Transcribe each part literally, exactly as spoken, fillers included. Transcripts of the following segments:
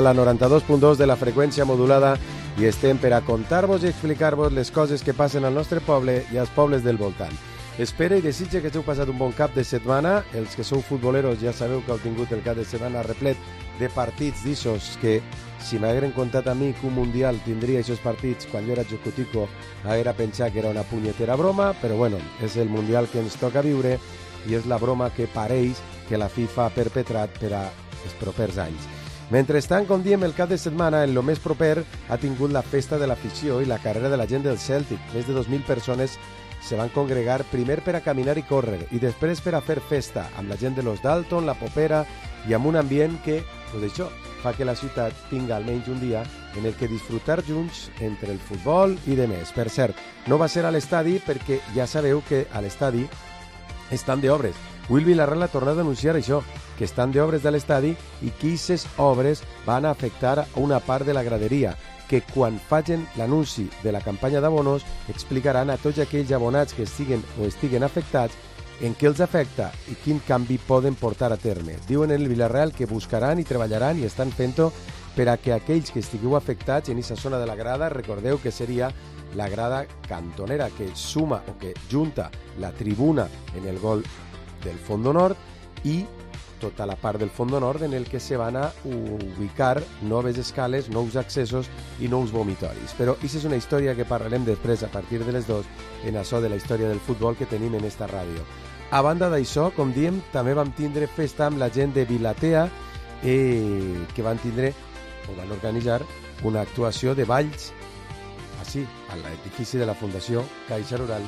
la noranta-dos punt dos de la freqüència modulada i estem per a contar-vos i explicar-vos les coses que passen al nostre poble i als pobles del voltant. Espero i desitge que hàgiu passat un bon cap de setmana. Els que sou futboleros ja sabeu que heu tingut el cap de setmana replet de partits d'ixos que, si m'hagueren contat a mi que un mundial tindria aquests partits quan jo era xocotico, haguera pensat que era una punyetera broma, però bueno, és el mundial que ens toca viure i és la broma que pareix que la FIFA ha perpetrat per a els propers anys. Mentrestant, com diem, el cap de setmana, en lo més proper, ha tingut la festa de l'afició i la carrera de la gent del Celtic. Més de dos mil persones se van congregar primer per a caminar i córrer i després per a fer festa amb la gent de los Dalton, la Popera i amb un ambient que, pues això, fa que la ciutat tinga almenys un dia en el que disfrutar junts entre el futbol i de més. Per cert, no va ser a l'estadi perquè ja sabeu que a l'estadi estan d'obres. Will Vilarreal ha tornat a anunciar això, que estan d'obres de l'estadi i que aquestes obres van a afectar una part de la graderia, que quan facin l'anunci de la campanya d'abonos explicaran a tots aquells abonats que estiguen o estiguen afectats en què els afecta i quin canvi poden portar a terme. Diuen en el Vilarreal que buscaran i treballaran i estan fent-ho per a que aquells que estigueu afectats en aquesta zona de la grada, recordeu que seria la grada cantonera que suma o que junta la tribuna en el gol del Fondo Nord i tota la part del Fondo Nord en el que se van a ubicar noves escales, nous accessos i nous vomitoris. Però aquesta és una història que parlarem després a partir de les dues en això de la història del futbol que tenim en esta ràdio. A banda d'això, com diem, també vam tindre festa amb la gent de Vilatea eh, que van tindre o van organitzar una actuació de balls així, a l'edifici de la Fundació Caixa Rural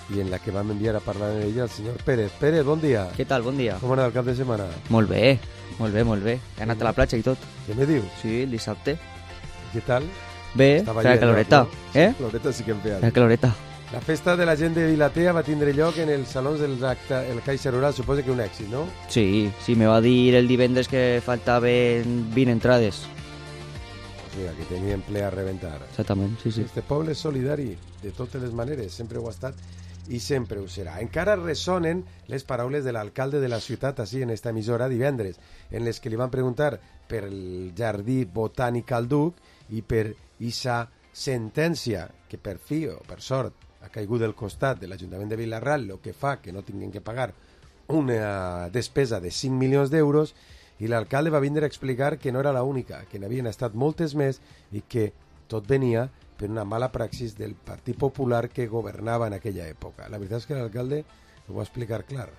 i en la que vam enviar a parlar amb ella el senyor Pérez. Pérez, bon dia. Què tal, bon dia. Com ha anat el cap de setmana? Molt bé, molt bé, molt bé. He anat a la platja i tot. Què me dius? Sí, el dissabte. Què tal? Bé, feia caloreta. Eh? Caloreta sí que em feia. Feia caloreta. La festa de la gent de Vilatea va tindre lloc en els salons del acte, el Caixa Rural, suposo que un èxit, no? Sí, sí, me va dir el divendres que faltaven vint entrades. O sigui, que tenien ple a reventar. Exactament, sí, sí. Este poble és solidari, de totes les maneres, sempre ho ha estat i sempre ho serà. Encara ressonen les paraules de l'alcalde de la ciutat així en esta emissora divendres, en les que li van preguntar per el jardí botànic al Duc i per esa sentència que per fi o per sort ha caigut del costat de l'Ajuntament de Vilarreal, el que fa que no tinguin que pagar una despesa de cinc milions d'euros, i l'alcalde va vindre a explicar que no era l'única, que n'havien estat moltes més i que tot venia per una mala praxis del Partit Popular que governava en aquella època. La veritat és que l'alcalde ho va explicar clar.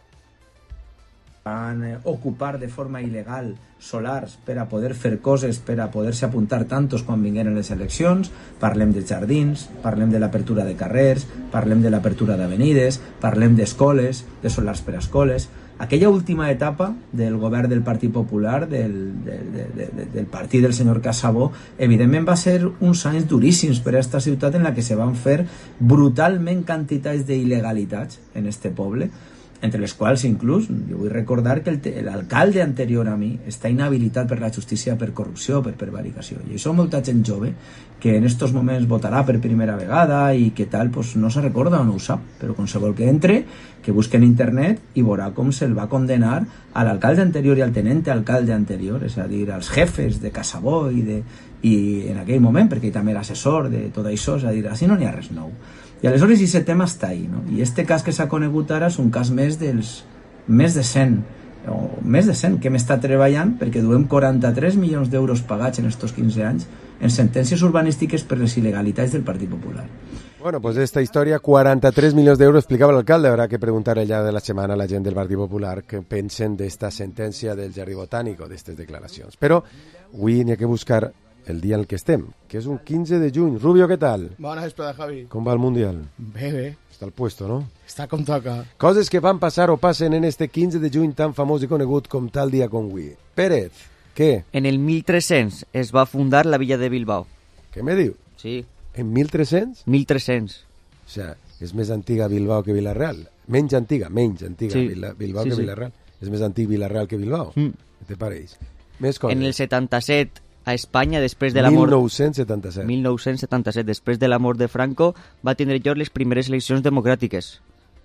Van eh, ocupar de forma il·legal solars per a poder fer coses, per a poder-se apuntar tantos quan vingueren les eleccions. Parlem de jardins, parlem de l'apertura de carrers, parlem de l'apertura d'avenides, parlem d'escoles, de solars per a escoles. Aquella última etapa del govern del Partit Popular, del, del, del, del partit del senyor Casabó, evidentment va ser uns anys duríssims per a aquesta ciutat en la que se van fer brutalment quantitats d'il·legalitats en este poble, entre les quals inclús, jo vull recordar que l'alcalde anterior a mi està inhabilitat per la justícia per corrupció, per prevaricació. I això molta gent jove que en estos moments votarà per primera vegada i que tal, pues no se recorda o no ho sap, però qualsevol que entre, que busque en internet i veurà com se'l va condenar a l'alcalde anterior i al tenente alcalde anterior, és a dir, als jefes de Casabó i, de, i en aquell moment, perquè ell també era assessor de tot això, és a dir, així no n'hi ha res nou. I aleshores aquest tema està ahí, no? I este cas que s'ha conegut ara és un cas més dels més de cent, o més de cent que hem estat treballant perquè duem quaranta-tres milions d'euros pagats en estos quinze anys en sentències urbanístiques per les il·legalitats del Partit Popular. Bueno, pues esta historia, quaranta-tres milions d'euros, explicaba el alcalde. Habrá que preguntarle ya de la semana a la gent del Partit Popular que pensen d'esta sentència del Jardí Botànic o d'estes declaracions. Però avui n'hi ha que buscar el dia en el que estem, que és un quinze de juny. Rubio, què tal? Bona vesprada, Javi. Com va el Mundial? Bé, bé. Està al puesto, no? Està com toca. Coses que van passar o passen en este quinze de juny tan famós i conegut com tal dia com avui. Pérez, què? En el mil tres-cents es va fundar la villa de Bilbao. Què me diu? Sí. En mil tres-cents? mil tres-cents. O sea, és més antiga Bilbao que Vilarreal. Menys antiga, menys antiga sí. Bilbao sí, que sí. Vilarreal. És més antic Vilarreal que Bilbao. Mm. Què te pareix? Més coses. En el setanta-set a Espanya, després de la mort... mil nou-cents setanta-set. mil nou-cents setanta-set, després de la mort de Franco, va tindre lloc les primeres eleccions democràtiques.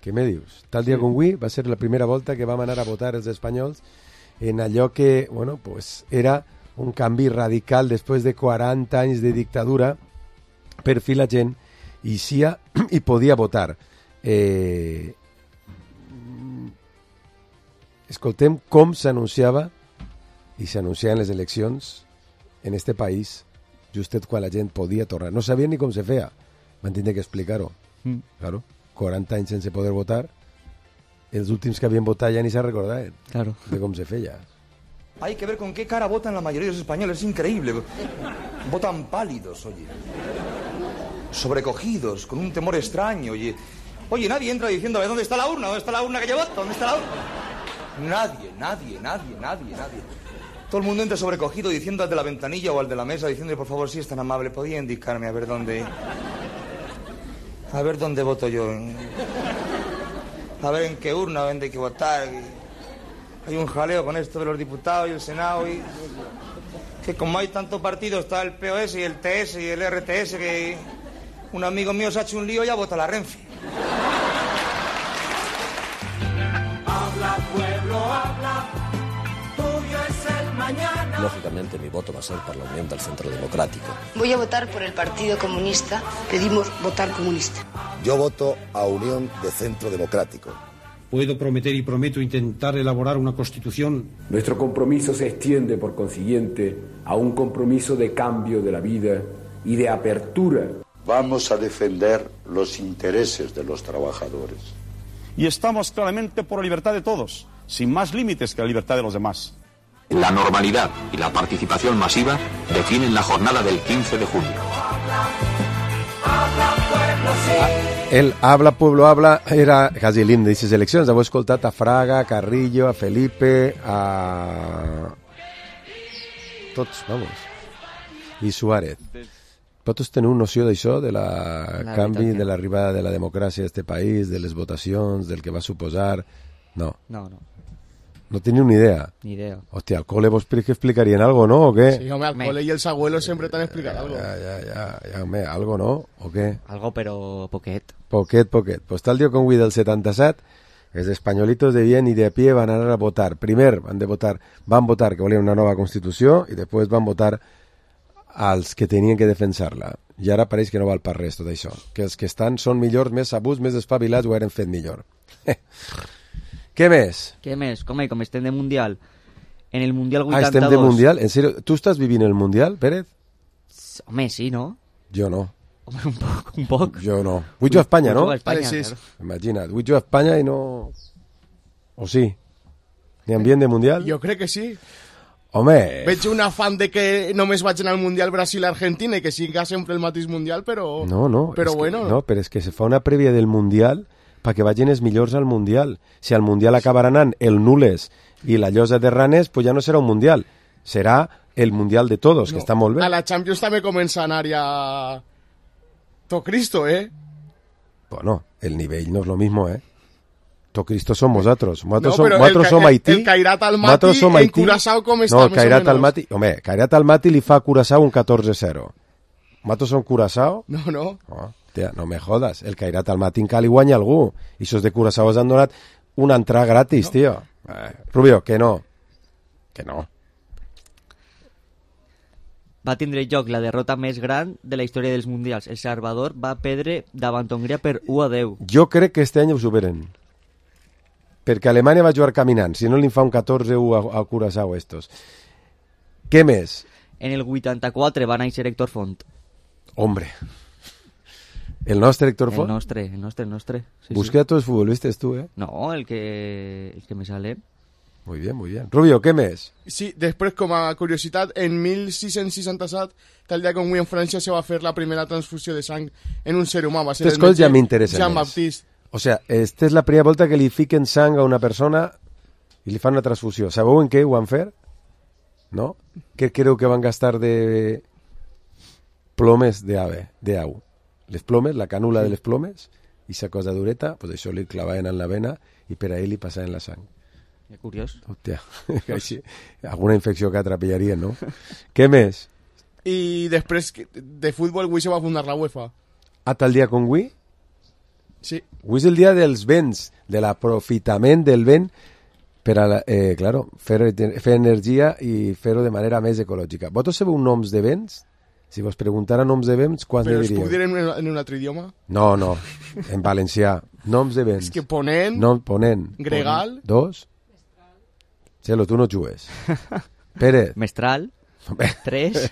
Què me dius? Tal dia sí. com avui va ser la primera volta que vam anar a votar els espanyols en allò que, bueno, pues era un canvi radical després de quaranta anys de dictadura, per fi la gent hi sia i podia votar. Eh, escoltem com s'anunciava i s'anunciaven les eleccions en este país justet quan la gent podia tornar. No sabien ni com se feia. Van tindre que explicar-ho. Mm. Claro, quaranta anys sense poder votar, els últims que havien votat ja ni se recordaven claro. de com se feia. Hay que ver con qué cara votan la mayoría de los españoles, es increíble. Votan pálidos, oye. Sobrecogidos, con un temor extraño, oye. Oye, nadie entra diciendo, ¿dónde está la urna? ¿Dónde está la urna que yo voto? ¿Dónde está la urna? Nadie, nadie, nadie, nadie, nadie. Todo el mundo entra sobrecogido diciendo al de la ventanilla o al de la mesa, diciéndole, por favor, si es tan amable, ¿podría indicarme a ver dónde... A ver dónde voto yo? A ver en qué urna dónde hay que votar. Hay un jaleo con esto de los diputados y el Senado y... Que como hay tanto partido, está el P O S y el T S y el R T S, que un amigo mío se ha hecho un lío y ya vota la Renfe. Habla, pueblo, habla, tuyo es el mañana. Lógicamente mi voto va a ser por la Unión del Centro Democrático. Voy a votar por el Partido Comunista. Pedimos votar comunista. Yo voto a Unión de Centro Democrático. Puedo prometer y prometo intentar elaborar una constitución. Nuestro compromiso se extiende, por consiguiente, a un compromiso de cambio de la vida y de apertura. Vamos a defender los intereses de los trabajadores. Y estamos claramente por la libertad de todos, sin más límites que la libertad de los demás. La normalidad y la participación masiva definen la jornada del quince de junio. El Habla, Pueblo, Habla era quasi l'himne d'aquestes eleccions. Heu escoltat a Fraga, a Carrillo, a Felipe, a... tots, vamos. I Suárez. Vosaltres teniu noció d'això, de la, la canvi, de l'arribada de la democràcia a este país, de les votacions, del que va suposar? No. No, no. No teniu ni idea. Ni idea. Hostia, al cole vos que explicarien algo, ¿no? ¿O qué? Sí, hombre, al me... cole y els abuelos siempre te han explicado algo. Ya, ya, ya, ya, hombre, algo, ¿no? ¿O qué? Algo, pero poquet. Poquet, poquet. Pues tal día con Wii del setanta-set, els espanyolitos de bien y de a pie van a anar a votar. Primer van de votar, van votar que volien una nova Constitució i després van votar als que tenien que defensar-la. I ara pareix que no val per res tot això. Que els que estan són millors, més sabuts, més espavilats, ho eren fet millor. Què més? Què més? Com, com estem de Mundial. En el Mundial vuitanta-dos... Ah, estem de Mundial? En sèrio? Tu estàs vivint el Mundial, Pérez? Home, sí, no? Jo no. Home, un poc, un poc. Jo no. Vull jugar a Espanya, no? A Espanya, sí. Claro. Imagina't, vull jugar a Espanya i no... O sí? Ni ambient de Mundial? Jo crec que sí. Home... Veig un afán de que només vagin al Mundial Brasil-Argentina i que siga sempre el mateix Mundial, però... No, no. Però és bueno... Que, no, però és que se fa una prèvia del Mundial perquè vagin els millors al Mundial. Si al Mundial acabarà anant el Nules i la Llosa de Ranes, pues ja no serà un Mundial. Serà el Mundial de todos, no, que està molt bé. A la Champions també comença a anar ja... To Cristo, ¿eh? Bueno, el nivell no és lo mismo, ¿eh? To Cristo som nosaltres. Nosaltres no, som, nosaltres som Haití. El Cairat Almaty en Curaçao com està no, el més Cairat o Almaty, home, Cairat Almaty li fa a Curaçao un catorze cero. Nosaltres som Curaçao? No, no. Oh, tia, no me jodas. El Cairat Almaty encara li guanya algú. I esos de Curaçao han donat una entrada gratis, no. Tio. Eh, Rubio, que no. Que no. Va tindre lloc la derrota més gran de la història dels Mundials. El Salvador va perdre davant Hongria per u a deu. Jo crec que este any ho superen. Perquè Alemanya va jugar caminant. Si no li fa un catorze u a, a Curaçao estos. Què més? En el vuitanta-quatre va néixer Héctor Font. Hombre. El nostre Héctor Font? El nostre, el nostre, el nostre. Sí, Busqué sí. a tots els futbolistes tu, eh? No, el que, el que me sale. Muy bien, muy bien. Rubio, què més? Sí, després, com a curiositat, en mil sis-cents seixanta-set, tal dia com avui en França se va fer la primera transfusió de sang en un ser humà. Va ser Aquestes coses ja m'interessen Jean més. Baptiste. O sea, esta és la primera volta que li fiquen sang a una persona i li fan una transfusió. Sabeu en què ho van fer? No? Què creu que van gastar de plomes d'ave, d'au? Les plomes, la cànula de les plomes, i sa cosa dureta, pues això li clavaven en la vena i per ahí li passaven la sang. Que curiós. Hòstia, així, alguna infecció que atrapillarien, no? Què més? I després de futbol, avui se va fundar la UEFA. A tal dia com avui? Sí. Avui és el dia dels vents, de l'aprofitament del vent Per a, la, eh, claro, fer, fer energia i fer-ho de manera més ecològica. Vosaltres sabeu noms de vents? Si vos preguntara noms de vents, quants Però ne es diríeu? puc dir en, en un altre idioma? No, no, en valencià. Noms de vents. És que Ponent, No, ponent. Gregal... Dos. Xelo, tu no jugues. Pérez. Mestral. Tres.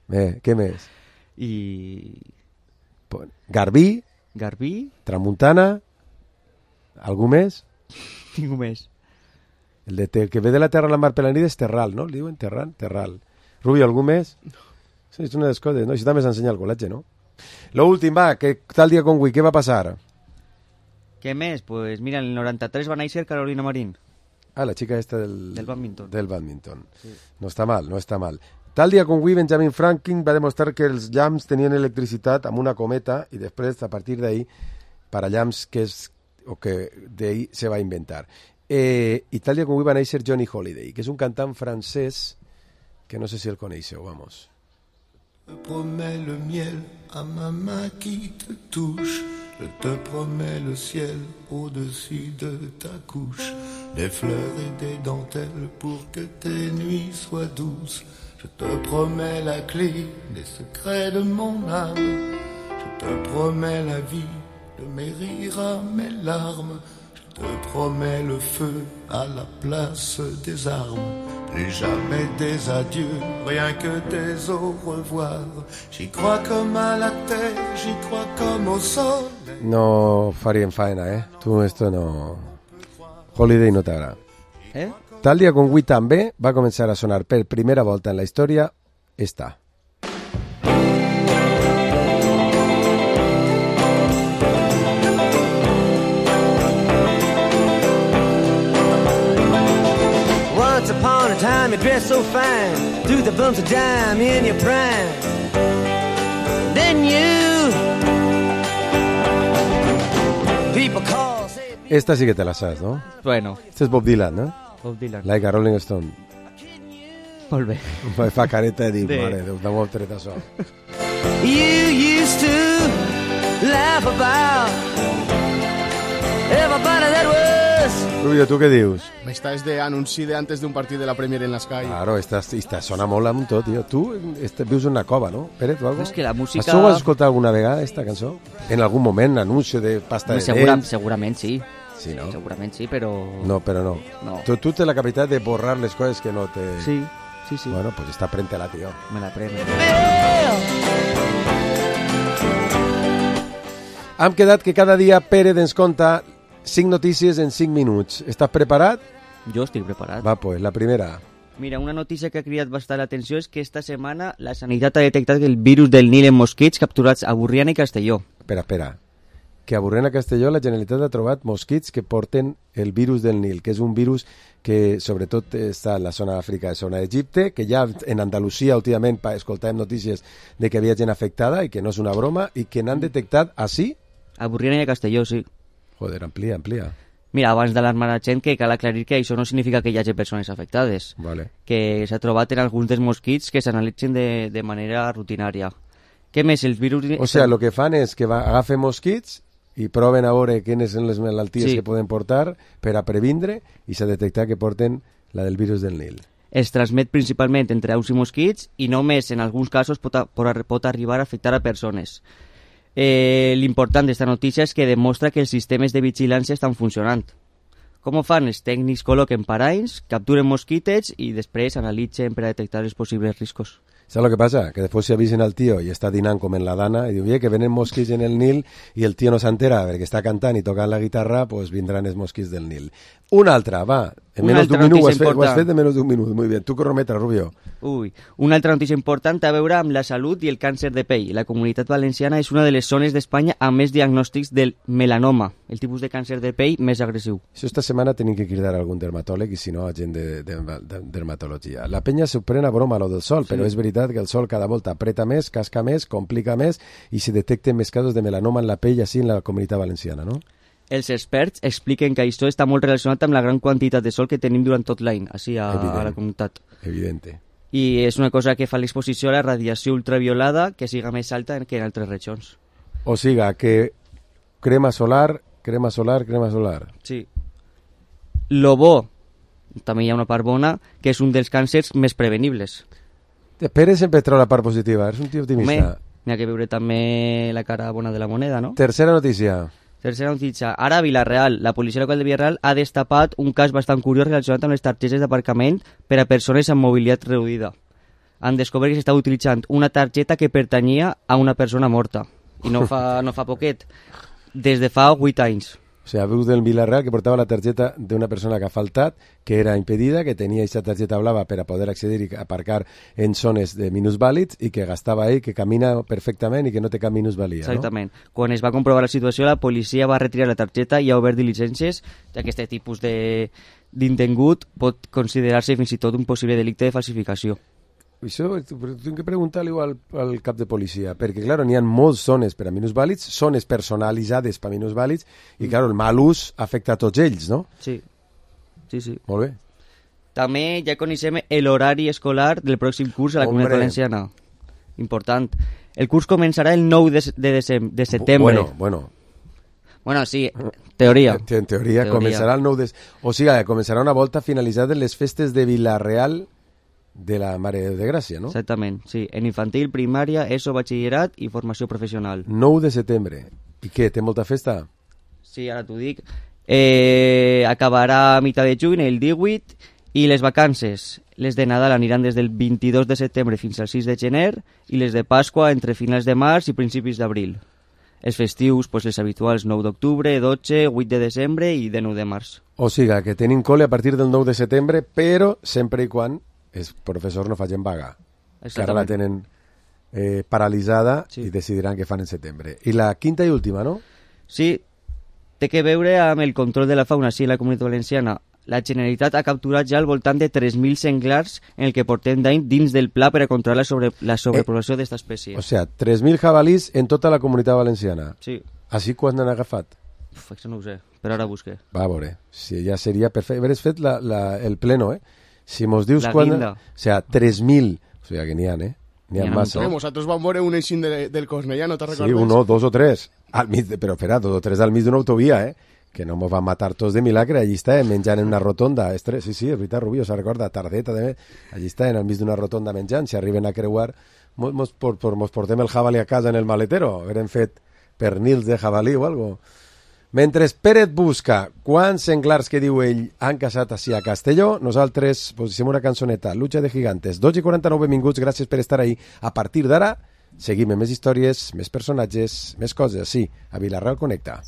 Bé, què més? I... Garbí. Garbí. Tramuntana. Algú més? Ningú més. El, de, el que ve de la terra a la mar per la nit és Terral, no? El diuen Terral? Terral. Rubio, algú més? Sí, és una de les coses, no? Això també s'ensenya al col·legi, no? Lo últim, va, que tal dia com avui, què va passar? Què més? Pues mira, en el noranta-tres va néixer Carolina Marín. Ah, la xica esta del... Del badminton. Del badminton. Sí. No està mal, no està mal. Tal dia com avui, Benjamin Franklin va demostrar que els llamps tenien electricitat amb una cometa i després, a partir d'ahí, parallamps que és... o que d'ahí se va inventar. Eh, I tal dia com avui va néixer Johnny Holiday, que és un cantant francès que no sé si el coneixeu, vamos. Je te promets le miel à ma main qui te touche. Je te promets le ciel au-dessus de ta couche. Des fleurs et des dentelles pour que tes nuits soient douces. Je te promets la clé des secrets de mon âme. Je te promets la vie de mes rires à mes larmes. Je te promets le feu à la place des armes. Plus jamais des adieux, rien que des au revoir. J'y crois comme à la terre, j'y crois comme au sol. No farien faena, eh? Tu esto no... Holiday no t'agrada. Eh? Tal dia com avui també va començar a sonar per primera volta en la història esta. Once upon a time you dressed so fine, threw the bumps of dime in your prime. Then you people call, say... Esta sí que te la saps, no? Bueno. Este és Bob Dylan, no? Bob Dylan. Like a Rolling Stone. Molt bé. Me fa careta de dir, Sí. mare, Déu, dame un tret això. You used to laugh about everybody that was. Rubio, tu què dius? Esta es de anunci de antes de un partit de la Premier en la Sky. Claro, esta, esta sona molt amb tot, tio. Tu este, vius en una cova, no? Pérez, o algo? És que la música... Això ho has escoltat alguna vegada, esta cançó? En algun moment, anuncio de pasta de Segura, dents? segurament sí. Sí, no? Segurament sí, però... No, però no. No. Tu, tu tens la capacitat de borrar les coses que no te... Sí, sí, sí. Bueno, pues està prente-la, tio. Me la preno. Hem quedat que cada dia Pérez ens conta cinc notícies en cinc minuts. Estàs preparat? Jo estic preparat. Va, pues, la primera. Mira, una notícia que ha cridat bastant l'atenció és que esta setmana la Sanitat ha detectat el virus del Nil en mosquits capturats a Burriana i Castelló. Espera, espera. Que a Burriana Castelló la Generalitat ha trobat mosquits que porten el virus del Nil, que és un virus que sobretot està en la zona d'Àfrica, la zona d'Egipte, que ja en Andalusia últimament escoltàvem notícies de que havia gent afectada i que no és una broma, i que n'han detectat així? A Burriana i a Castelló, sí. Joder, amplia, amplia. Mira, abans d'alarmar la gent, que cal aclarir que això no significa que hi hagi persones afectades. Vale. Que s'ha trobat en alguns dels mosquits que s'analitzen de, de manera rutinària. Què més? Els virus... O sigui, el que fan és que va, agafen mosquits i proven a veure quines són les malalties Sí. que poden portar per a previndre i s'ha detectat que porten la del virus del Nil. Es transmet principalment entre aus i mosquits i només en alguns casos pot, a, pot arribar a afectar a persones. Eh, L'important d'esta notícia és que demostra que els sistemes de vigilància estan funcionant. Com ho fan? Els tècnics col·loquen parells, capturen mosquitets i després analitzen per a detectar els possibles riscos. ¿Sabes lo que pasa? Que después se avisen al tío y está dinant com en la dana y diu, oye, que venen mosquits en el Nil y el tío no s'entera perquè està cantant i tocant la guitarra, pues vindran els mosquits del Nil. Una altra, va. En Una menos de un altra minut, ho has, notícia fet, ho has important. fet de menos de un minut. Muy bien. Tu cronometra, Rubio. Ui, una altra notícia important té a veure amb la salut i el càncer de pell. La Comunitat Valenciana és una de les zones d'Espanya amb més diagnòstics del melanoma, el tipus de càncer de pell més agressiu. Això esta setmana tenim que cridar a algun dermatòleg i si no a gent de, de, de dermatologia. La penya s'ho pren a broma lo del sol, Sí. però és veritat que el sol cada volta apreta més, casca més, complica més i se detecten més casos de melanoma en la pell així en la Comunitat Valenciana, no? Els experts expliquen que això està molt relacionat amb la gran quantitat de sol que tenim durant tot l'any, així a, a la comunitat. Evidente. I és una cosa que fa l'exposició a la radiació ultraviolada que siga més alta que en altres regions. O siga, que crema solar, crema solar, crema solar. Sí. Lo bo també hi ha una part bona, que és un dels càncers més prevenibles. Pere sempre treu la part positiva, és un tio optimista. Home, n'hi ha que veure també la cara bona de la moneda, no? Tercera notícia. Tercera notícia. Ara a Vilareal, la policia local de Vilareal ha destapat un cas bastant curiós relacionat amb les targetes d'aparcament per a persones amb mobilitat reduïda. Han descobert que s'estava utilitzant una targeta que pertanyia a una persona morta. I no fa, no fa poquet. Des de fa vuit anys. O sigui, veus del Vilareal que portava la targeta d'una persona que ha faltat, que era impedida, que tenia aquesta targeta blava per a poder accedir i aparcar en zones de minusvàlids i que gastava ahí, que camina perfectament i que no té cap minusvalia. Exactament. No? Quan es va comprovar la situació, la policia va retirar la targeta i ha obert diligències, ja que aquest tipus de d'intengut pot considerar-se fins i tot un possible delicte de falsificació. Això tinc que preguntar-li al, al cap de policia, perquè, clar, n'hi ha moltes zones per a minusvàlids, zones personalitzades per a minusvàlids, i, clar, el mal ús afecta a tots ells, no? Sí, sí, sí. Molt bé. També ja coneixem l'horari escolar del pròxim curs a la Comunitat Valenciana. Important. El curs començarà el nou de, de, decem, de setembre. Bueno, bueno. Bueno, sí, teoria. En, en teoria, teoria començarà el nou de... O sigui, començarà una volta finalitzada les festes de Vilareal de la Mare de Gràcia, no? Exactament, sí. En infantil, primària, ESO, batxillerat i formació professional. nou de setembre. I què, té molta festa? Sí, ara t'ho dic. Eh, acabarà a mitjà de juny, el divuit, i les vacances, les de Nadal aniran des del vint-i-dos de setembre fins al sis de gener, i les de Pasqua entre finals de març i principis d'abril. Els festius, pues, les habituals nou d'octubre, dotze, vuit de desembre i de nou de març. O sigui, que tenim col·le a partir del nou de setembre, però sempre i quan els professors no facin vaga, que ara la tenen eh, paralitzada, sí. I decidiran què fan en setembre. I la quinta i última, no? Sí, té que veure amb el control de la fauna sí, a la Comunitat Valenciana. La Generalitat ha capturat ja al voltant de tres mil senglars en el que portem d'any dins del pla per a controlar la, sobre, la sobrepoblació eh, d'aquesta espècie. O sigui, tres mil jabalís en tota la Comunitat Valenciana. Sí. Així quan n'han agafat? Uf, això no ho sé, però ara busqué. Va a veure, si ja seria perfecte. Hauries fet la, la, el pleno, eh? Si mos dius la quan... guinda. O sigui, tres mil. O sigui, que n'hi ha, eh? N'hi ha massa. Sí, nosaltres vam veure un eixint de, del Cornellà, no te recordes? Sí, uno, dos o tres. Al mig de, però, espera, dos o tres al mig d'una autovia, eh? Que no mos van matar tots de milagre. Allí està, menjant en una rotonda. Estres, sí, sí, és veritat, Rubio, se recorda, tardeta, també. Allí està, al mig d'una rotonda menjant. Si arriben a creuar, mos, mos, por, por, mos portem el jabalí a casa en el maletero. Haurem fet pernils de jabalí o algo. Mentre Pérez busca quants senglars que diu ell han casat així a Castelló, nosaltres posem una cançoneta, Lucha de Gigantes. dos i quaranta-nou, benvinguts, gràcies per estar ahí. A partir d'ara, seguim amb més històries, més personatges, més coses, sí, a Vilareal Connecta.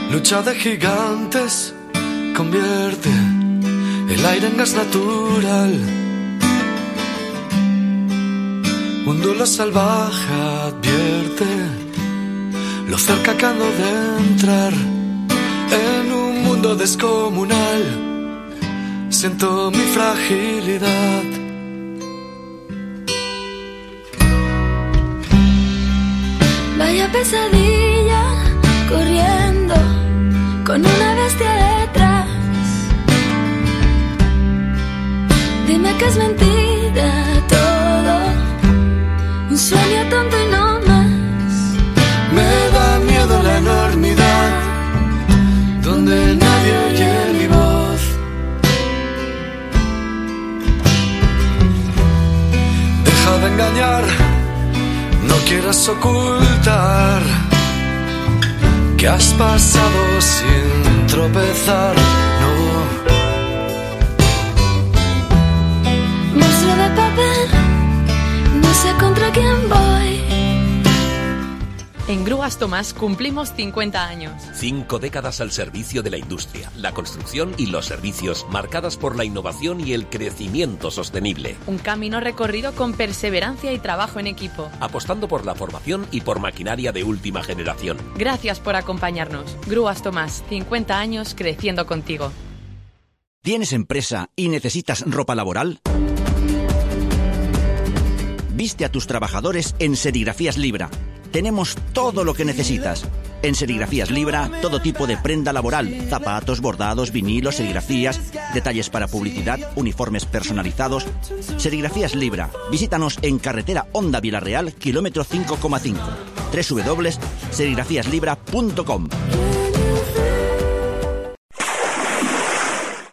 Lucha de gigantes convierte el aire en gas natural. Un duelo salvaje advierte lo cerca que ando de entrar en un mundo descomunal. Siento mi fragilidad. Vaya pesadilla corriendo con una bestia detrás. Dime que es mentira todo, un sueño tonto y no más. Me da miedo la enormidad, donde nadie oye mi voz. Deja de engañar, no quieras ocultar que has pasado sin tropezar, no. Monstruo de papel, no sé contra quién voy. En Grúas Tomás cumplimos cincuenta años. Cinco décadas al servicio de la industria, la construcción y los servicios, marcadas por la innovación y el crecimiento sostenible. Un camino recorrido con perseverancia y trabajo en equipo. Apostando por la formación y por maquinaria de última generación. Gracias por acompañarnos. Grúas Tomás, cincuenta años creciendo contigo. ¿Tienes empresa y necesitas ropa laboral? Viste a tus trabajadores en Serigrafías Libra. Tenemos todo lo que necesitas. En Serigrafías Libra, todo tipo de prenda laboral, zapatos, bordados, vinilos, serigrafías, detalles para publicidad, uniformes personalizados. Serigrafías Libra. Visítanos en carretera Honda Villarreal, kilómetro cinco coma cinco. doble u doble u doble u punto serigrafías libra punto com.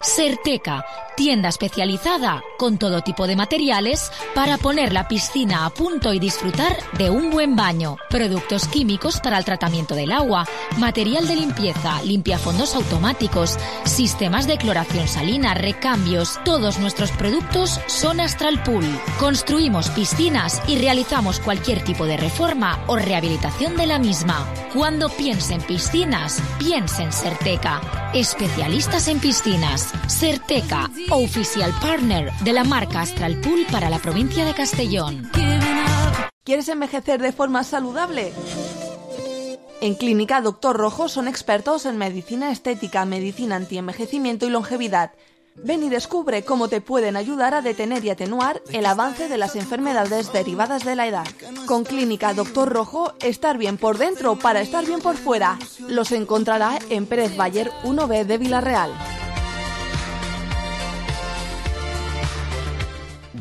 Serteca, tienda especializada con todo tipo de materiales para poner la piscina a punto y disfrutar de un buen baño. Productos químicos para el tratamiento del agua, material de limpieza, limpiafondos automáticos, sistemas de cloración salina, recambios. Todos nuestros productos son Astral Pool. Construimos piscinas y realizamos cualquier tipo de reforma o rehabilitación de la misma. Cuando piense en piscinas, piense en Serteca. Especialistas en piscinas. Serteca, oficial partner de la marca Astral Pool para la provincia de Castellón. ¿Quieres envejecer de forma saludable? En Clínica Doctor Rojo son expertos en medicina estética, medicina antienvejecimiento y longevidad. Ven y descubre cómo te pueden ayudar a detener y atenuar el avance de las enfermedades derivadas de la edad. Con Clínica Doctor Rojo, estar bien por dentro para estar bien por fuera. Los encontrará en Pérez Bayer uno B de Villarreal.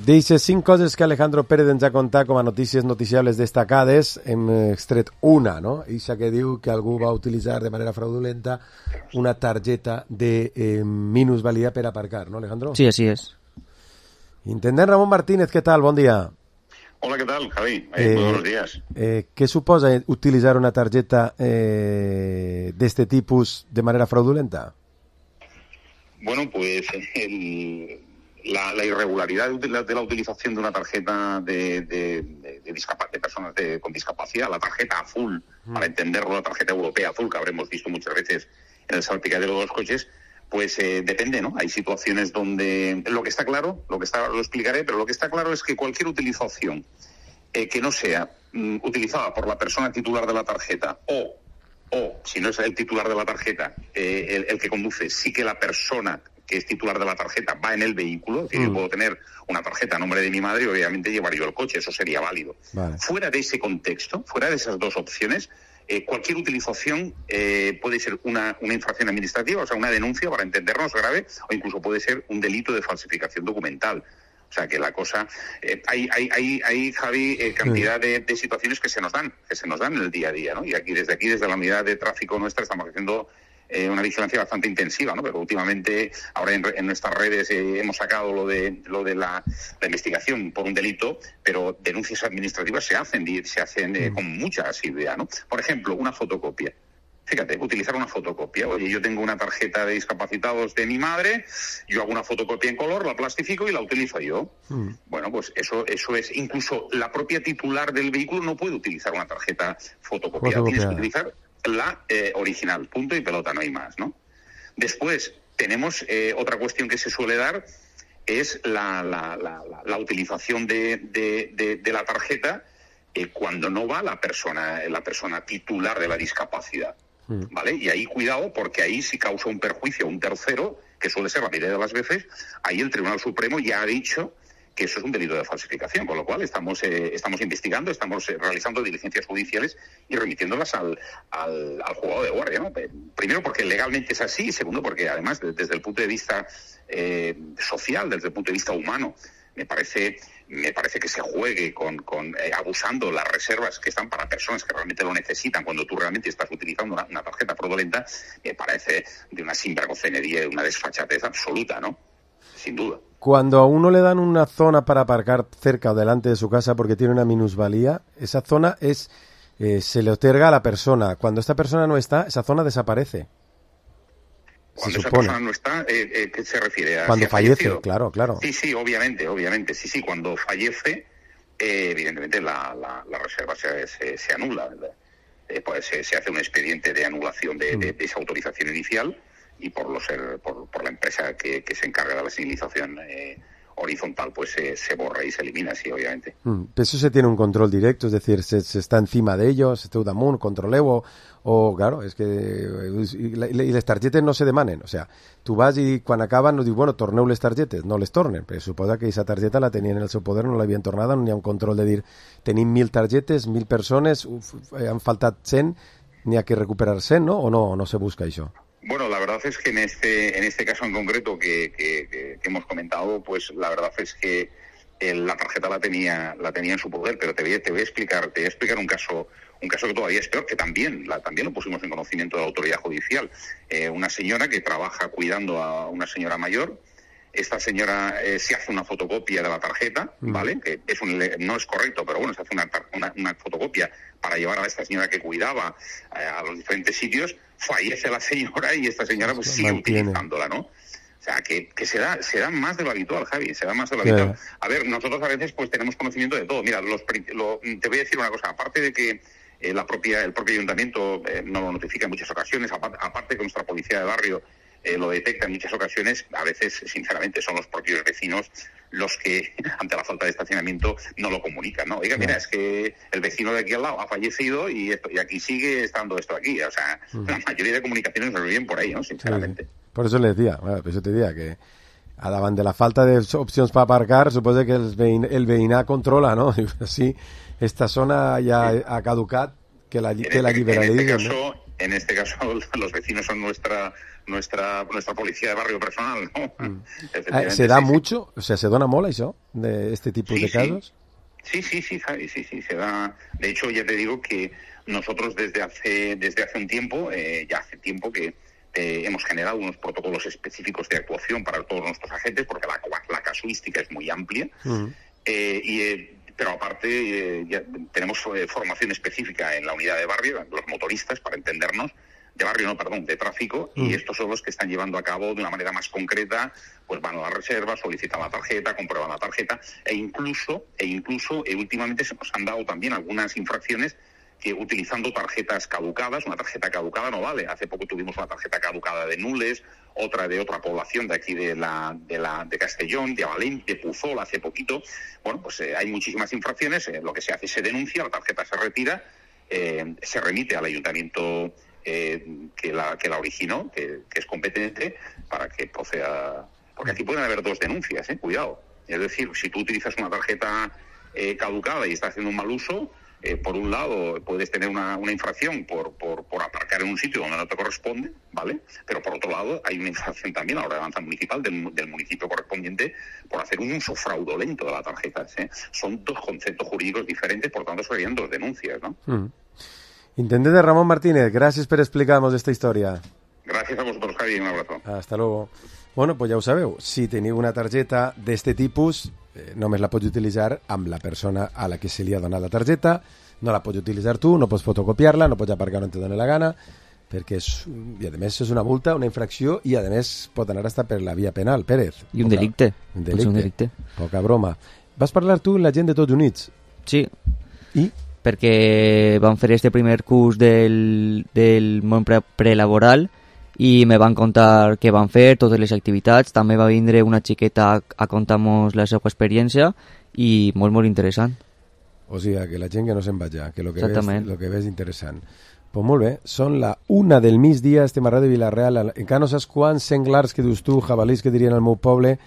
D'eixes cinc coses que Alejandro Pérez ens ha contat com a notícies noticiables destacades, hem extret una, no? Ixa que diu que algú va utilitzar de manera fraudulenta una targeta de eh, minusvalía per aparcar, ¿no, Alejandro? Sí, así es. Intendent Ramón Martínez, ¿qué tal? Bon dia. Hola, ¿qué tal, Javi? Eh, eh, buenos días. Eh, ¿Qué suposa utilizar una tarjeta eh, de este tipus de manera fraudulenta? Bueno, pues el... La, la irregularidad de la, de la utilización de una tarjeta de, de, de, de, discapa, de personas de, con discapacidad, la tarjeta azul, mm. para entenderlo, la tarjeta europea azul, que habremos visto muchas veces en el salpicadero de los coches, pues eh, depende, ¿no? Hay situaciones donde lo que está claro, lo que está, lo explicaré, pero lo que está claro es que cualquier utilización eh, que no sea mm, utilizada por la persona titular de la tarjeta o, o si no es el titular de la tarjeta, eh, el, el que conduce, sí que la persona que es titular de la tarjeta va en el vehículo, es decir, mm. yo puedo tener una tarjeta a nombre de mi madre y obviamente llevar yo el coche, eso sería válido. Vale. Fuera de ese contexto, fuera de esas dos opciones, eh, cualquier utilización eh, puede ser una, una infracción administrativa, o sea, una denuncia, para entendernos, grave, o incluso puede ser un delito de falsificación documental. O sea, que la cosa... Eh, hay, hay, hay, hay, Javi, eh, cantidad de, de situaciones que se nos dan, que se nos dan en el día a día, ¿no? Y aquí, desde aquí, desde la unidad de tráfico nuestra, estamos haciendo... Eh, una vigilancia bastante intensiva, ¿no? Pero últimamente, ahora en, en nuestras redes eh, hemos sacado lo de lo de la, la investigación por un delito, pero denuncias administrativas se hacen, se hacen eh, con mucha asiduidad, ¿no? Por ejemplo, una fotocopia. Fíjate, utilizar una fotocopia. Oye, yo tengo una tarjeta de discapacitados de mi madre, yo hago una fotocopia en color, la plastifico y la utilizo yo. Mm. Bueno, pues eso eso es, incluso la propia titular del vehículo no puede utilizar una tarjeta fotocopiada. Tienes que utilizar la eh, original, punto y pelota, no hay más, ¿no? Después tenemos eh, otra cuestión que se suele dar, es la, la, la, la, la utilización de, de, de, de la tarjeta eh, cuando no va la persona, la persona titular de la discapacidad, mm. ¿vale? Y ahí cuidado, porque ahí si causa un perjuicio a un tercero, que suele ser la mayoría de las veces, ahí el Tribunal Supremo ya ha dicho que eso es un delito de falsificación, con lo cual estamos eh, estamos investigando, estamos eh, realizando diligencias judiciales y remitiéndolas al, al, al juzgado de guardia, ¿no? Primero porque legalmente es así, y segundo porque además de, desde el punto de vista eh, social, desde el punto de vista humano, me parece me parece que se juegue con, con eh, abusando las reservas que están para personas que realmente lo necesitan cuando tú realmente estás utilizando una, una tarjeta fraudulenta, me parece de una sinvergonzonería y una desfachatez absoluta, ¿no? Sin duda. Cuando a uno le dan una zona para aparcar cerca o delante de su casa porque tiene una minusvalía, esa zona es eh, se le otorga a la persona. Cuando esta persona no está, esa zona desaparece. Cuando esa persona no está, eh, eh, ¿qué se refiere? ¿A cuando si fallece, fallecido? claro, claro. Sí, sí, obviamente, obviamente. Sí, sí, cuando fallece, eh, evidentemente la, la, la reserva se, se, se anula, ¿verdad? Eh, pues se, se hace un expediente de anulación de, mm. de, de esa autorización inicial, y por los por, por la empresa que, que se encarga de la señalización eh, horizontal, pues se, se borra y se elimina, sí, obviamente. Mm, eso se tiene un control directo, es decir, se, se está encima de ellos, se está damunt, controleu, o, o claro, és que i, i les targetes no se demanen, o sea, tu vas i quan acaben no dius, bueno, torneu les targetes, no les tornen, però suposa que aquesta targeta la tenien en el seu poder, no l'havien tornada, no hi ha un control de dir, tenim mil targetes, mil persones, uf, han faltat cent, n'hi ha que recuperar-se, no? O no, no se busca això? Bueno, la verdad es que en este en este caso en concreto que, que, que, que hemos comentado, pues la verdad es que el, la tarjeta la tenía la tenía en su poder, pero te voy, te voy a explicar te voy a explicar un caso un caso que todavía es peor, que también la, también lo pusimos en conocimiento de la autoridad judicial. Eh, una señora que trabaja cuidando a una señora mayor. Esta señora eh, se hace una fotocopia de la tarjeta, ¿vale? Que es un, no es correcto, pero bueno, se hace una, una, una fotocopia para llevar a esta señora que cuidaba eh, a los diferentes sitios. Fallece la señora y esta señora pues sigue mantiene. utilizándola, ¿no? O sea, que, que se da se da más de lo habitual, Javi, se da más de lo habitual. Yeah. A ver, nosotros a veces pues tenemos conocimiento de todo. Mira, los, lo, te voy a decir una cosa, aparte de que eh, la propia el propio ayuntamiento eh, nos lo notifica en muchas ocasiones, aparte, aparte que nuestra policía de barrio Eh, lo detecta en muchas ocasiones, a veces, sinceramente, son los propios vecinos los que, ante la falta de estacionamiento, no lo comunican, ¿no? Oiga, mira, es que el vecino de aquí al lado ha fallecido y esto, y aquí sigue estando esto aquí. O sea, uh-huh. la mayoría de comunicaciones nos vienen por ahí, ¿no? Sinceramente. Sí. Por eso le decía, bueno, por eso te decía que a davant de la falta de opcions per aparcar, suposa que el, veïn, el veïnat controla, ¿no? Sí, esta zona ya sí. ha caducat, que la, que la liberalitzen, en este caso, ¿no? En este caso, los vecinos son nuestra nuestra nuestra policía de barrio personal, ¿no? Mm. Ah, ¿se da sí, mucho? Sí. O sea, ¿se dona molt això, de este tipo sí, de casos? Sí, sí, sí, Javi, sí, sí, se da. De hecho, ya te digo que nosotros desde hace desde hace un tiempo, eh, ya hace tiempo que eh, hemos generado unos protocolos específicos de actuación para todos nuestros agentes, porque la, la casuística es muy amplia, mm. eh, y eh, pero aparte eh, ya tenemos eh, formación específica en la unidad de barrio, los motoristas, para entendernos, de barrio no, perdón, de tráfico, mm. y estos son los que están llevando a cabo de una manera más concreta, pues van a la reserva, solicitan la tarjeta, comprueban la tarjeta, e incluso, e incluso eh, últimamente se nos han dado también algunas infracciones que utilizando tarjetas caducadas, una tarjeta caducada no vale. Hace poco tuvimos una tarjeta caducada de Nules, otra de otra población de aquí de la de la de Castellón, de Valente, de Puzol, hace poquito. Bueno, pues eh, hay muchísimas infracciones, eh, lo que se hace se denuncia, la tarjeta se retira, eh, se remite al ayuntamiento eh, que la que la originó, que, que es competente, para que proceda, porque aquí pueden haber dos denuncias, eh, cuidado. Es decir, si tú utilizas una tarjeta eh, caducada y estás haciendo un mal uso, Eh, por un lado, puedes tener una, una infracción por, por, por aparcar en un sitio donde no te corresponde, ¿vale? Pero por otro lado, hay una infracción también a la ordenanza municipal del, del municipio correspondiente por hacer un uso fraudulento de la tarjeta, ¿sí? Son dos conceptos jurídicos diferentes, por tanto, serían dos denuncias, ¿no? Mm. Intendente Ramón Martínez, gracias por explicarnos esta historia. Gracias a vosotros, Javi, un abrazo. Hasta luego. Bueno, pues ja ho sabeu, si teniu una targeta d'este tipus, eh, només la pots utilitzar amb la persona a la que se li ha donat la targeta, no la pots utilitzar tu, no pots fotocopiar-la, no pots aparcar on te doni la gana, perquè és, i a més és una multa, una infracció, i a més pot anar hasta per la via penal, Pérez. I un poca, delicte. Un delicte. Un delicte. Poca broma. Vas parlar tu amb la gent de Tots Units? Sí. I? Perquè vam fer este primer curs del, del món pre prelaboral i me van contar què van fer, totes les activitats. També va vindre una xiqueta a, a contar-nos la seva experiència i molt, molt interessant. O sigui, que la gent que no se'n vaja, que lo que ves, lo que ves interessant. Pues molt bé, són la una del migdia, estem a Ràdio Vila-real. Encara no saps quants senglars que dius tu, jabalís que dirien al meu poble,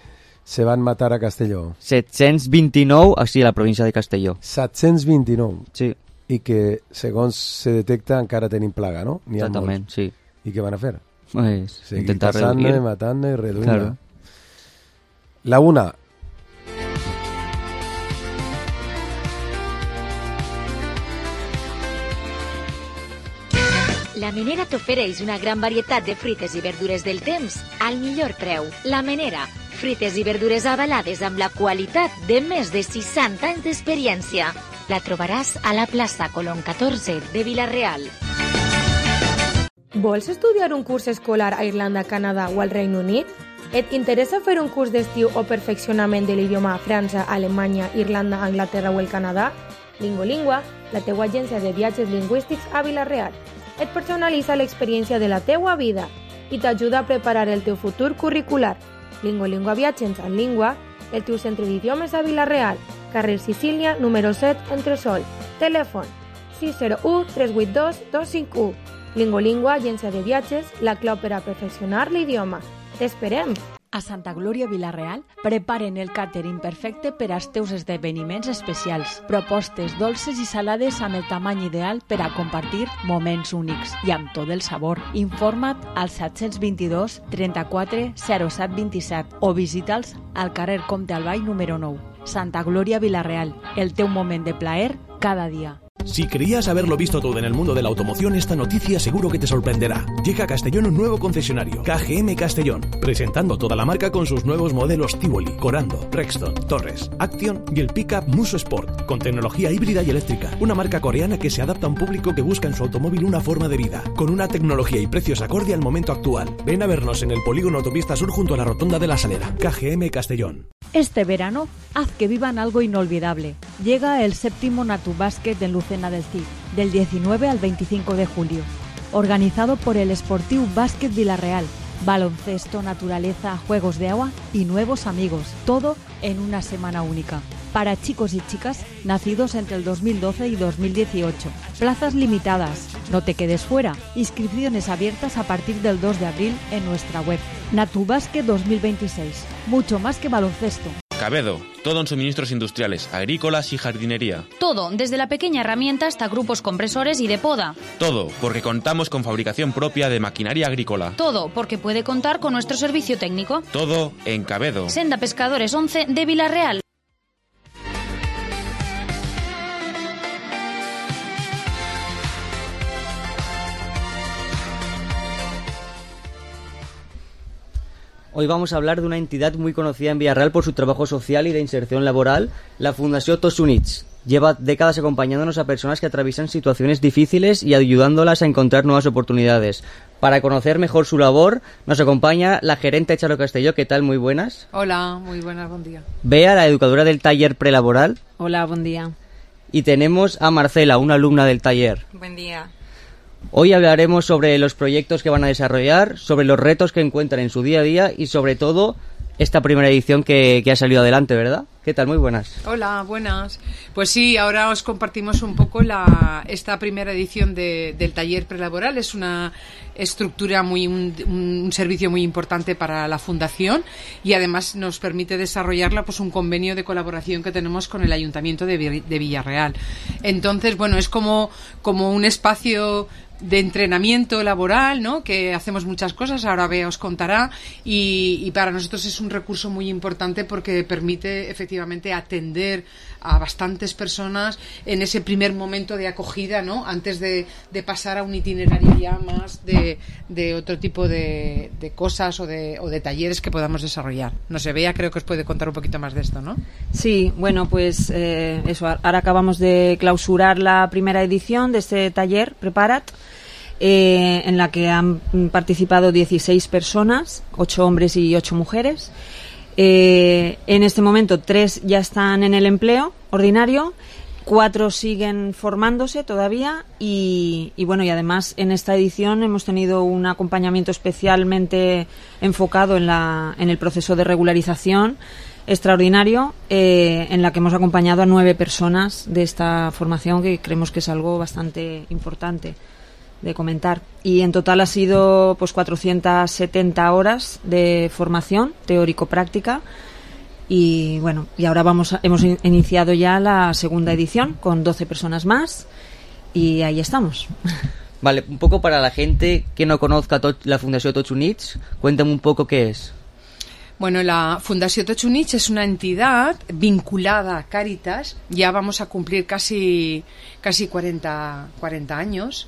se van matar a Castelló. set-cents vint-i-nou, així a la província de Castelló. set-cents vint-i-nou? Sí. I que, segons se detecta, encara tenim plaga, no? Exactament, sí. I què van a fer? Pues, seguir intentar pasando, reduir. matando y reduciendo. Claro. La una. La Menera t'ofereix una gran varietat de fruites i verdures del temps al millor preu. La Menera, fruites i verdures avalades amb la qualitat de més de seixanta anys d'experiència. La trobaràs a la plaça Colón catorze de Vila-real. Vols estudiar un curs escolar a Irlanda, Canadà o al Regne Unit? Et interessa fer un curs d'estiu o perfeccionament de l'idioma a França, Alemanya, Irlanda, Anglaterra o el Canadà? Lingolingua, la teua agència de viatges lingüístics a Vila-real. Et personalitza l'experiència de la teua vida i t'ajuda a preparar el teu futur curricular. Lingolingua Viatges en Língua, el teu centre d'idiomes a Vila-real, carrer Sicília, número set, Entresol. Telèfon sis zero u tres vuit dos dos cinc u. Lingolingua, agència de viatges, la clau per a perfeccionar l'idioma. T'esperem! A Santa Glòria Vila-real preparen el càtering perfecte per als teus esdeveniments especials. Propostes dolces i salades amb el tamany ideal per a compartir moments únics i amb tot el sabor. Informa't al set dos dos, trenta-quatre, zero set vint-i-set o visita'ls al carrer Comte Albay número nou. Santa Glòria Vila-real, el teu moment de plaer cada día. Si creías haberlo visto todo en el mundo de la automoción, esta noticia seguro que te sorprenderá. Llega a Castellón un nuevo concesionario, K G M Castellón, presentando toda la marca con sus nuevos modelos Tivoli, Corando, Rexton, Torres, Action y el pickup Muso Sport, con tecnología híbrida y eléctrica. Una marca coreana que se adapta a un público que busca en su automóvil una forma de vida, con una tecnología y precios acorde al momento actual. Ven a vernos en el polígono Autopista Sur junto a la Rotonda de la Salera. K G M Castellón. Este verano, haz que vivan algo inolvidable. Llega el séptimo Natubàsquet en Lucena del Cid, del diecinueve al veinticinco de julio. Organizado por el Esportiu Bàsquet Vila-real. Baloncesto, naturaleza, juegos de agua y nuevos amigos. Todo en una semana única. Para chicos y chicas nacidos entre el dos mil doce y dos mil dieciocho. Plazas limitadas. No te quedes fuera. Inscripciones abiertas a partir del dos de abril en nuestra web. Natubàsquet dos mil veintiséis. Mucho más que baloncesto. Cabedo, todo en suministros industriales, agrícolas y jardinería. Todo, desde la pequeña herramienta hasta grupos compresores y de poda. Todo, porque contamos con fabricación propia de maquinaria agrícola. Todo, porque puede contar con nuestro servicio técnico. Todo en Cabedo. Senda Pescadores once de Vila-real. Hoy vamos a hablar de una entidad muy conocida en Villarreal por su trabajo social y de inserción laboral, la Fundació Tots Units. Lleva décadas acompañándonos a personas que atraviesan situaciones difíciles y ayudándolas a encontrar nuevas oportunidades. Para conocer mejor su labor, nos acompaña la gerente Charo Castelló. ¿Qué tal? Muy buenas. Hola, muy buenas, buen día. Bea, la educadora del taller prelaboral. Hola, buen día. Y tenemos a Marcela, una alumna del taller. Buen día. Hoy hablaremos sobre los proyectos que van a desarrollar, sobre los retos que encuentran en su día a día y sobre todo esta primera edición que, que ha salido adelante, ¿verdad? ¿Qué tal? Muy buenas. Hola, buenas. Pues sí, ahora os compartimos un poco la, esta primera edición de, del taller prelaboral. Es una estructura, muy un, un servicio muy importante para la Fundación y además nos permite desarrollarla pues un convenio de colaboración que tenemos con el Ayuntamiento de, de Villarreal. Entonces, bueno, es como, como un espacio de entrenamiento laboral, ¿no? Que hacemos muchas cosas, ahora Bea os contará, y, y para nosotros es un recurso muy importante porque permite efectivamente atender a bastantes personas en ese primer momento de acogida, ¿no? Antes de, de pasar a un itinerario ya más de, de otro tipo de, de cosas o de, o de talleres que podamos desarrollar. No sé, Bea creo que os puede contar un poquito más de esto, ¿no? Sí, bueno, pues eh, eso, ahora acabamos de clausurar la primera edición de este taller, Preparat, Eh, en la que han participado dieciséis personas, ocho hombres y ocho mujeres. Eh, en este momento tres ya están en el empleo ordinario, cuatro siguen formándose todavía y, y bueno, y además en esta edición hemos tenido un acompañamiento especialmente enfocado en, la, en el proceso de regularización extraordinario, eh, en la que hemos acompañado a nueve personas de esta formación, que creemos que es algo bastante importante de comentar. Y en total ha sido pues cuatrocientas setenta horas de formación teórico-práctica y bueno, y ahora vamos a, hemos in, iniciado ya la segunda edición con doce personas más y ahí estamos. Vale, un poco para la gente que no conozca tot, la Fundació Tots Units, cuéntame un poco qué es. Bueno, la Fundació Tots Units es una entidad vinculada a Cáritas, ya vamos a cumplir casi casi cuarenta, cuarenta años.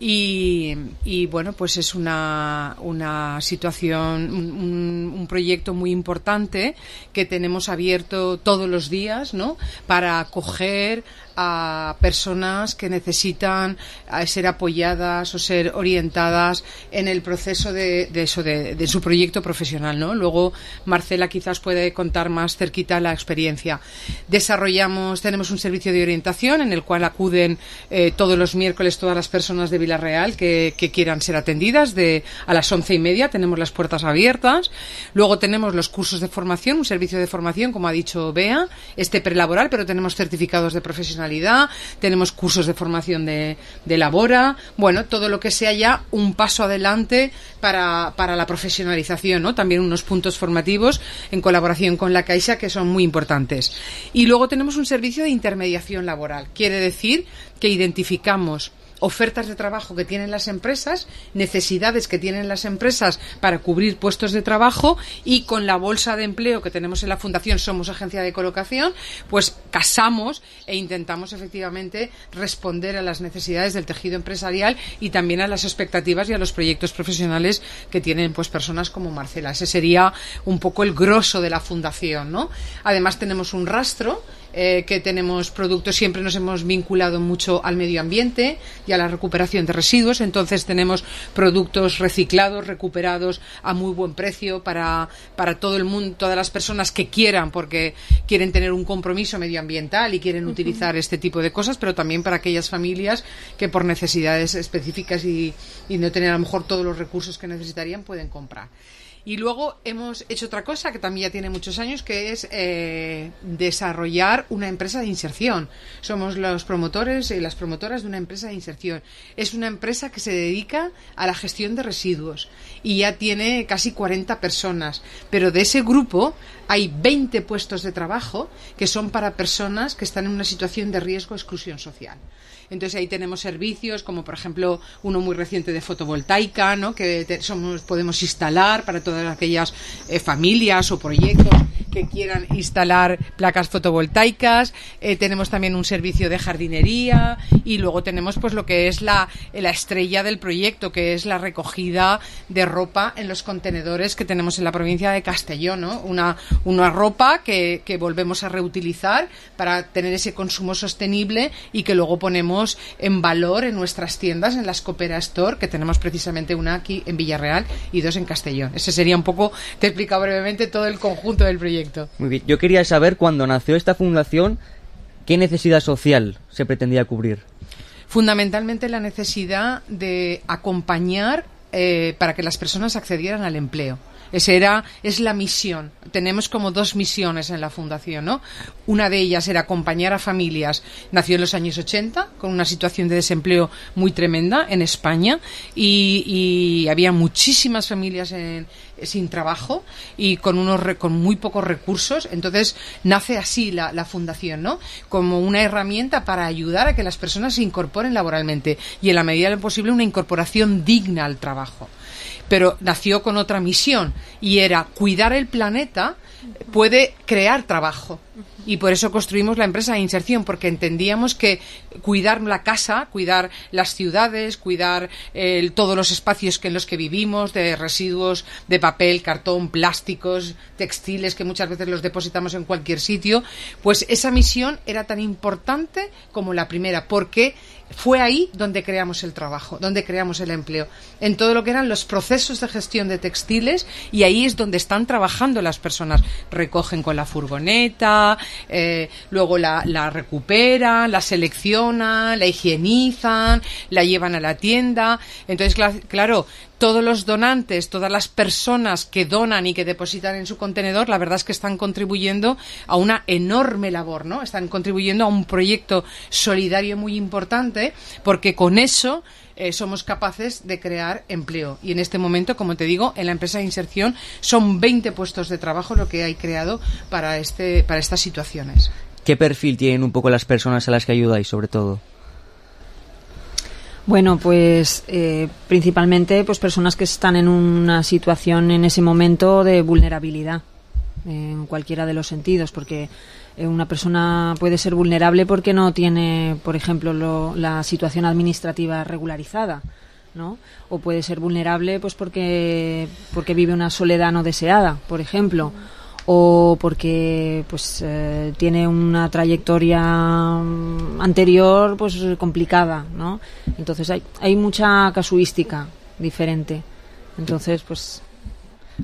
Y, y bueno, pues es una, una situación, un, un proyecto muy importante que tenemos abierto todos los días, ¿no? Para acoger a personas que necesitan ser apoyadas o ser orientadas en el proceso de, de eso, de, de su proyecto profesional, ¿no? Luego Marcela quizás puede contar más cerquita la experiencia. Desarrollamos, tenemos un servicio de orientación en el cual acuden eh, todos los miércoles todas las personas de Villarreal Vila-real que, que quieran ser atendidas. De a las once y media tenemos las puertas abiertas. Luego tenemos los cursos de formación, un servicio de formación, como ha dicho Bea, este prelaboral, pero tenemos certificados de profesionalidad, tenemos cursos de formación de, de labora, bueno, todo lo que sea ya un paso adelante para, para la profesionalización, ¿no? También unos puntos formativos en colaboración con la Caixa que son muy importantes. Y luego tenemos un servicio de intermediación laboral. Quiere decir que identificamos ofertas de trabajo que tienen las empresas, necesidades que tienen las empresas para cubrir puestos de trabajo, y con la bolsa de empleo que tenemos en la Fundación, somos agencia de colocación, pues casamos e intentamos efectivamente responder a las necesidades del tejido empresarial y también a las expectativas y a los proyectos profesionales que tienen pues personas como Marcela. Ese sería un poco el grosso de la Fundación, ¿no? Además tenemos un rastro Eh, que tenemos productos, siempre nos hemos vinculado mucho al medio ambiente y a la recuperación de residuos, entonces tenemos productos reciclados, recuperados a muy buen precio para, para todo el mundo, todas las personas que quieran, porque quieren tener un compromiso medioambiental y quieren uh-huh. utilizar este tipo de cosas, pero también para aquellas familias que por necesidades específicas y, y no tener a lo mejor todos los recursos que necesitarían pueden comprar. Y luego hemos hecho otra cosa que también ya tiene muchos años, que es eh, desarrollar una empresa de inserción. Somos los promotores y las promotoras de una empresa de inserción. Es una empresa que se dedica a la gestión de residuos y ya tiene casi cuarenta personas. Pero de ese grupo hay veinte puestos de trabajo que son para personas que están en una situación de riesgo o exclusión social. Entonces ahí tenemos servicios como por ejemplo uno muy reciente de fotovoltaica, ¿no? Que te, somos, podemos instalar para todas aquellas eh, familias o proyectos que quieran instalar placas fotovoltaicas. Eh, tenemos también un servicio de jardinería y luego tenemos pues lo que es la, la estrella del proyecto, que es la recogida de ropa en los contenedores que tenemos en la provincia de Castellón, ¿no? Una, una ropa que, que volvemos a reutilizar para tener ese consumo sostenible y que luego ponemos en valor en nuestras tiendas, en las Coopera Store, que tenemos precisamente una aquí en Villarreal y dos en Castellón. Ese sería un poco, te he explicado brevemente todo el conjunto del proyecto. Muy bien, yo quería saber, cuando nació esta fundación, ¿qué necesidad social se pretendía cubrir? Fundamentalmente la necesidad de acompañar eh, para que las personas accedieran al empleo. Esa era, es la misión. Tenemos como dos misiones en la Fundación, ¿no? Una de ellas era acompañar a familias. Nació en los años ochenta, con una situación de desempleo muy tremenda en España, y, y había muchísimas familias en, sin trabajo y con unos con muy pocos recursos. Entonces nace así la, la Fundación, ¿no? Como una herramienta para ayudar a que las personas se incorporen laboralmente y en la medida de lo posible una incorporación digna al trabajo. Pero nació con otra misión y era cuidar el planeta puede crear trabajo. Y por eso construimos la empresa de inserción, porque entendíamos que cuidar la casa, cuidar las ciudades, cuidar eh, todos los espacios que en los que vivimos, de residuos de papel, cartón, plásticos, textiles, que muchas veces los depositamos en cualquier sitio, pues esa misión era tan importante como la primera, porque fue ahí donde creamos el trabajo, donde creamos el empleo, en todo lo que eran los procesos de gestión de textiles, y ahí es donde están trabajando las personas. Recogen con la furgoneta, eh, luego la, la recuperan, la seleccionan, la higienizan, la llevan a la tienda. Entonces, claro, todos los donantes, todas las personas que donan y que depositan en su contenedor, la verdad es que están contribuyendo a una enorme labor, ¿no? Están contribuyendo a un proyecto solidario muy importante, porque con eso eh, somos capaces de crear empleo. Y en este momento, como te digo, en la empresa de inserción son veinte puestos de trabajo lo que hay creado para este para estas situaciones. ¿Qué perfil tienen un poco las personas a las que ayudáis, sobre todo? Bueno, pues eh, principalmente pues personas que están en una situación en ese momento de vulnerabilidad, en cualquiera de los sentidos, porque eh, una persona puede ser vulnerable porque no tiene, por ejemplo, lo, la situación administrativa regularizada, ¿no? O puede ser vulnerable pues porque porque vive una soledad no deseada, por ejemplo, o porque pues eh, tiene una trayectoria anterior pues complicada, ¿no? Entonces hay hay mucha casuística diferente. Entonces, pues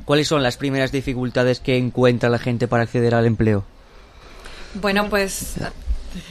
¿cuáles son las primeras dificultades que encuentra la gente para acceder al empleo? Bueno, pues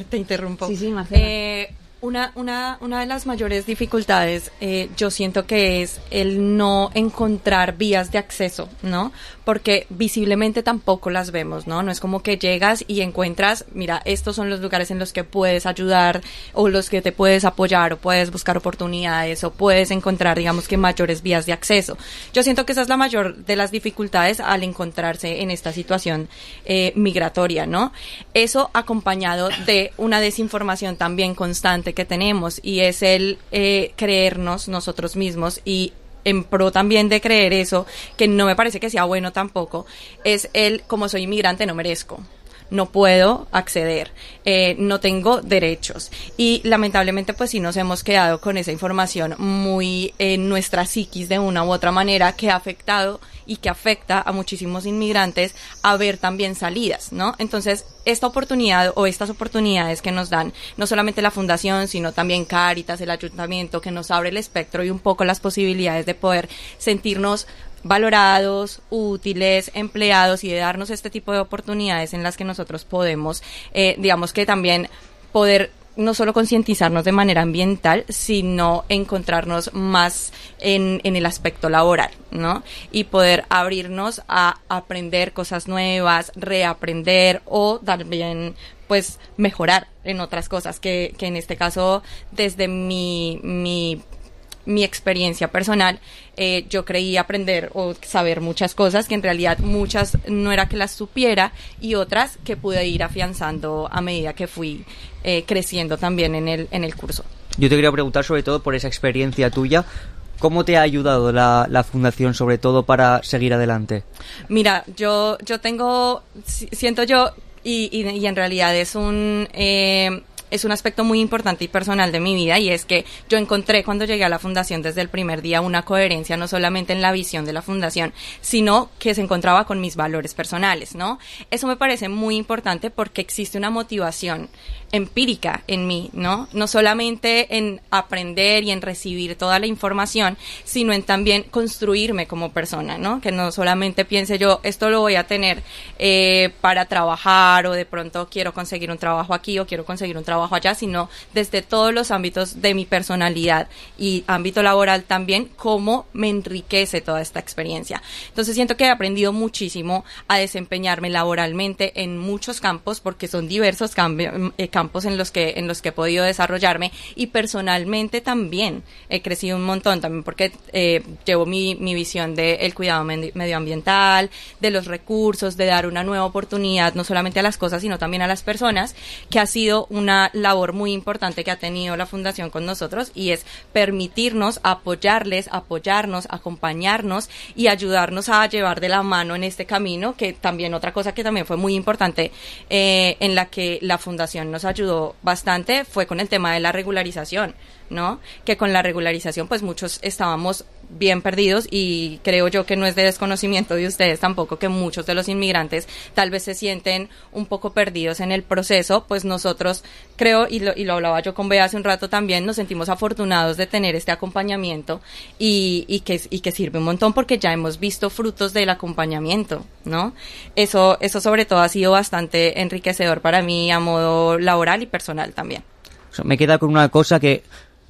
te interrumpo. Sí, sí, Marcela. Eh, Una, una, una de las mayores dificultades, eh, yo siento que es el no encontrar vías de acceso, ¿no? Porque visiblemente tampoco las vemos, ¿no? No es como que llegas y encuentras, mira, estos son los lugares en los que puedes ayudar o los que te puedes apoyar o puedes buscar oportunidades o puedes encontrar, digamos que mayores vías de acceso. Yo siento que esa es la mayor de las dificultades al encontrarse en esta situación eh, migratoria, ¿no? Eso acompañado de una desinformación también constante que tenemos, y es el eh, creernos nosotros mismos, y en pro también de creer eso, que no me parece que sea bueno tampoco, es el como soy inmigrante no merezco, no puedo acceder, eh, no tengo derechos, y lamentablemente pues sí nos hemos quedado con esa información muy en nuestra psiquis de una u otra manera, que ha afectado y que afecta a muchísimos inmigrantes a ver también salidas, ¿no? Entonces, esta oportunidad o estas oportunidades que nos dan, no solamente la Fundación, sino también Cáritas, el Ayuntamiento, que nos abre el espectro y un poco las posibilidades de poder sentirnos valorados, útiles, empleados, y de darnos este tipo de oportunidades en las que nosotros podemos, eh, digamos que también poder no solo concientizarnos de manera ambiental, sino encontrarnos más en, en el aspecto laboral, ¿no? Y poder abrirnos a aprender cosas nuevas, reaprender o también, pues, mejorar en otras cosas, que, que en este caso, desde mi, mi mi experiencia personal, eh, yo creí aprender o saber muchas cosas que en realidad muchas no era que las supiera, y otras que pude ir afianzando a medida que fui eh, creciendo también en el, en el curso. Yo te quería preguntar sobre todo por esa experiencia tuya, ¿cómo te ha ayudado la, la Fundación sobre todo para seguir adelante? Mira, yo, yo tengo, siento yo, y, y, y en realidad es un... Eh, es un aspecto muy importante y personal de mi vida, y es que yo encontré cuando llegué a la Fundación desde el primer día una coherencia no solamente en la visión de la Fundación, sino que se encontraba con mis valores personales, ¿no? Eso me parece muy importante porque existe una motivación empírica en mí, ¿no? No solamente en aprender y en recibir toda la información, sino en también construirme como persona, ¿no? Que no solamente piense yo, esto lo voy a tener eh, para trabajar, o de pronto quiero conseguir un trabajo aquí o quiero conseguir un trabajo allá, sino desde todos los ámbitos de mi personalidad y ámbito laboral también, cómo me enriquece toda esta experiencia. Entonces siento que he aprendido muchísimo a desempeñarme laboralmente en muchos campos, porque son diversos cambios, eh, campos en los que en los que he podido desarrollarme, y personalmente también he crecido un montón, también porque eh, llevo mi, mi visión del cuidado med- medioambiental, de los recursos, de dar una nueva oportunidad no solamente a las cosas sino también a las personas, que ha sido una labor muy importante que ha tenido la Fundación con nosotros, y es permitirnos apoyarles, apoyarnos, acompañarnos y ayudarnos a llevar de la mano en este camino, que también otra cosa que también fue muy importante eh, en la que la Fundación nos ayudó bastante fue con el tema de la regularización, ¿no? Que con la regularización pues muchos estábamos bien perdidos, y creo yo que no es de desconocimiento de ustedes tampoco que muchos de los inmigrantes tal vez se sienten un poco perdidos en el proceso. Pues nosotros creo, y lo, y lo hablaba yo con Bea hace un rato también, nos sentimos afortunados de tener este acompañamiento, y, y, que, y que sirve un montón porque ya hemos visto frutos del acompañamiento, ¿no? Eso, eso sobre todo ha sido bastante enriquecedor para mí a modo laboral y personal también. O sea, me queda con una cosa que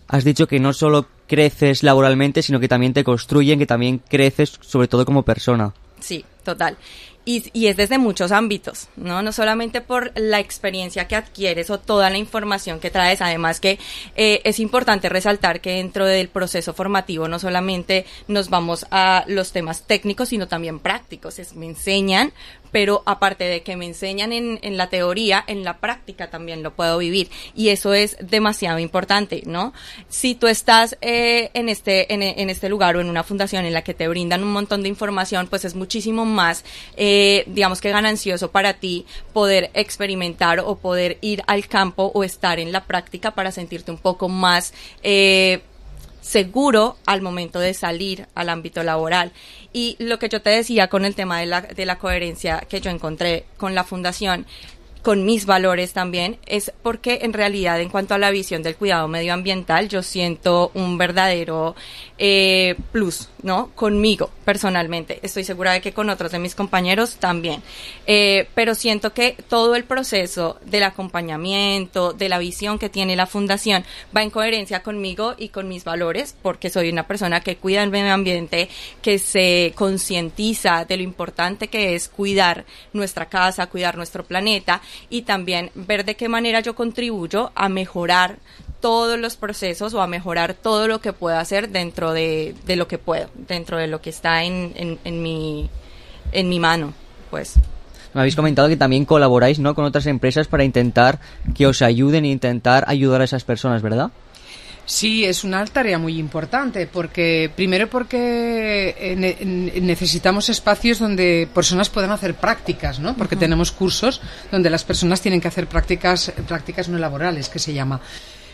has dicho, que no solo creces laboralmente, sino que también te construyen, que también creces sobre todo como persona. Sí, total. Y, y es desde muchos ámbitos, ¿no? No solamente por la experiencia que adquieres o toda la información que traes, además que eh, es importante resaltar que dentro del proceso formativo no solamente nos vamos a los temas técnicos, sino también prácticos. Es, me enseñan, pero aparte de que me enseñan en, en la teoría, en la práctica también lo puedo vivir, y eso es demasiado importante, ¿no? Si tú estás eh, en este en, en este lugar o en una fundación en la que te brindan un montón de información, pues es muchísimo más eh, digamos que ganancioso para ti poder experimentar o poder ir al campo o estar en la práctica para sentirte un poco más eh, seguro al momento de salir al ámbito laboral. Y lo que yo te decía con el tema de la, de la coherencia que yo encontré con la Fundación, con mis valores también, es porque en realidad en cuanto a la visión del cuidado medioambiental yo siento un verdadero eh, plus, ¿no? Conmigo personalmente, estoy segura de que con otros de mis compañeros también, eh, pero siento que todo el proceso del acompañamiento, de la visión que tiene la fundación va en coherencia conmigo y con mis valores, porque soy una persona que cuida el medio ambiente, que se concientiza de lo importante que es cuidar nuestra casa, cuidar nuestro planeta, y también ver de qué manera yo contribuyo a mejorar todos los procesos o a mejorar todo lo que puedo hacer dentro de, de lo que puedo, dentro de lo que está en, en, en, mi, en mi mano, pues. Me habéis comentado que también colaboráis, ¿no?, con otras empresas para intentar que os ayuden e intentar ayudar a esas personas, ¿verdad? Sí, es una tarea muy importante, porque primero porque ne- necesitamos espacios donde personas puedan hacer prácticas, ¿no? Porque uh-huh. tenemos cursos donde las personas tienen que hacer prácticas, prácticas no laborales, que se llama.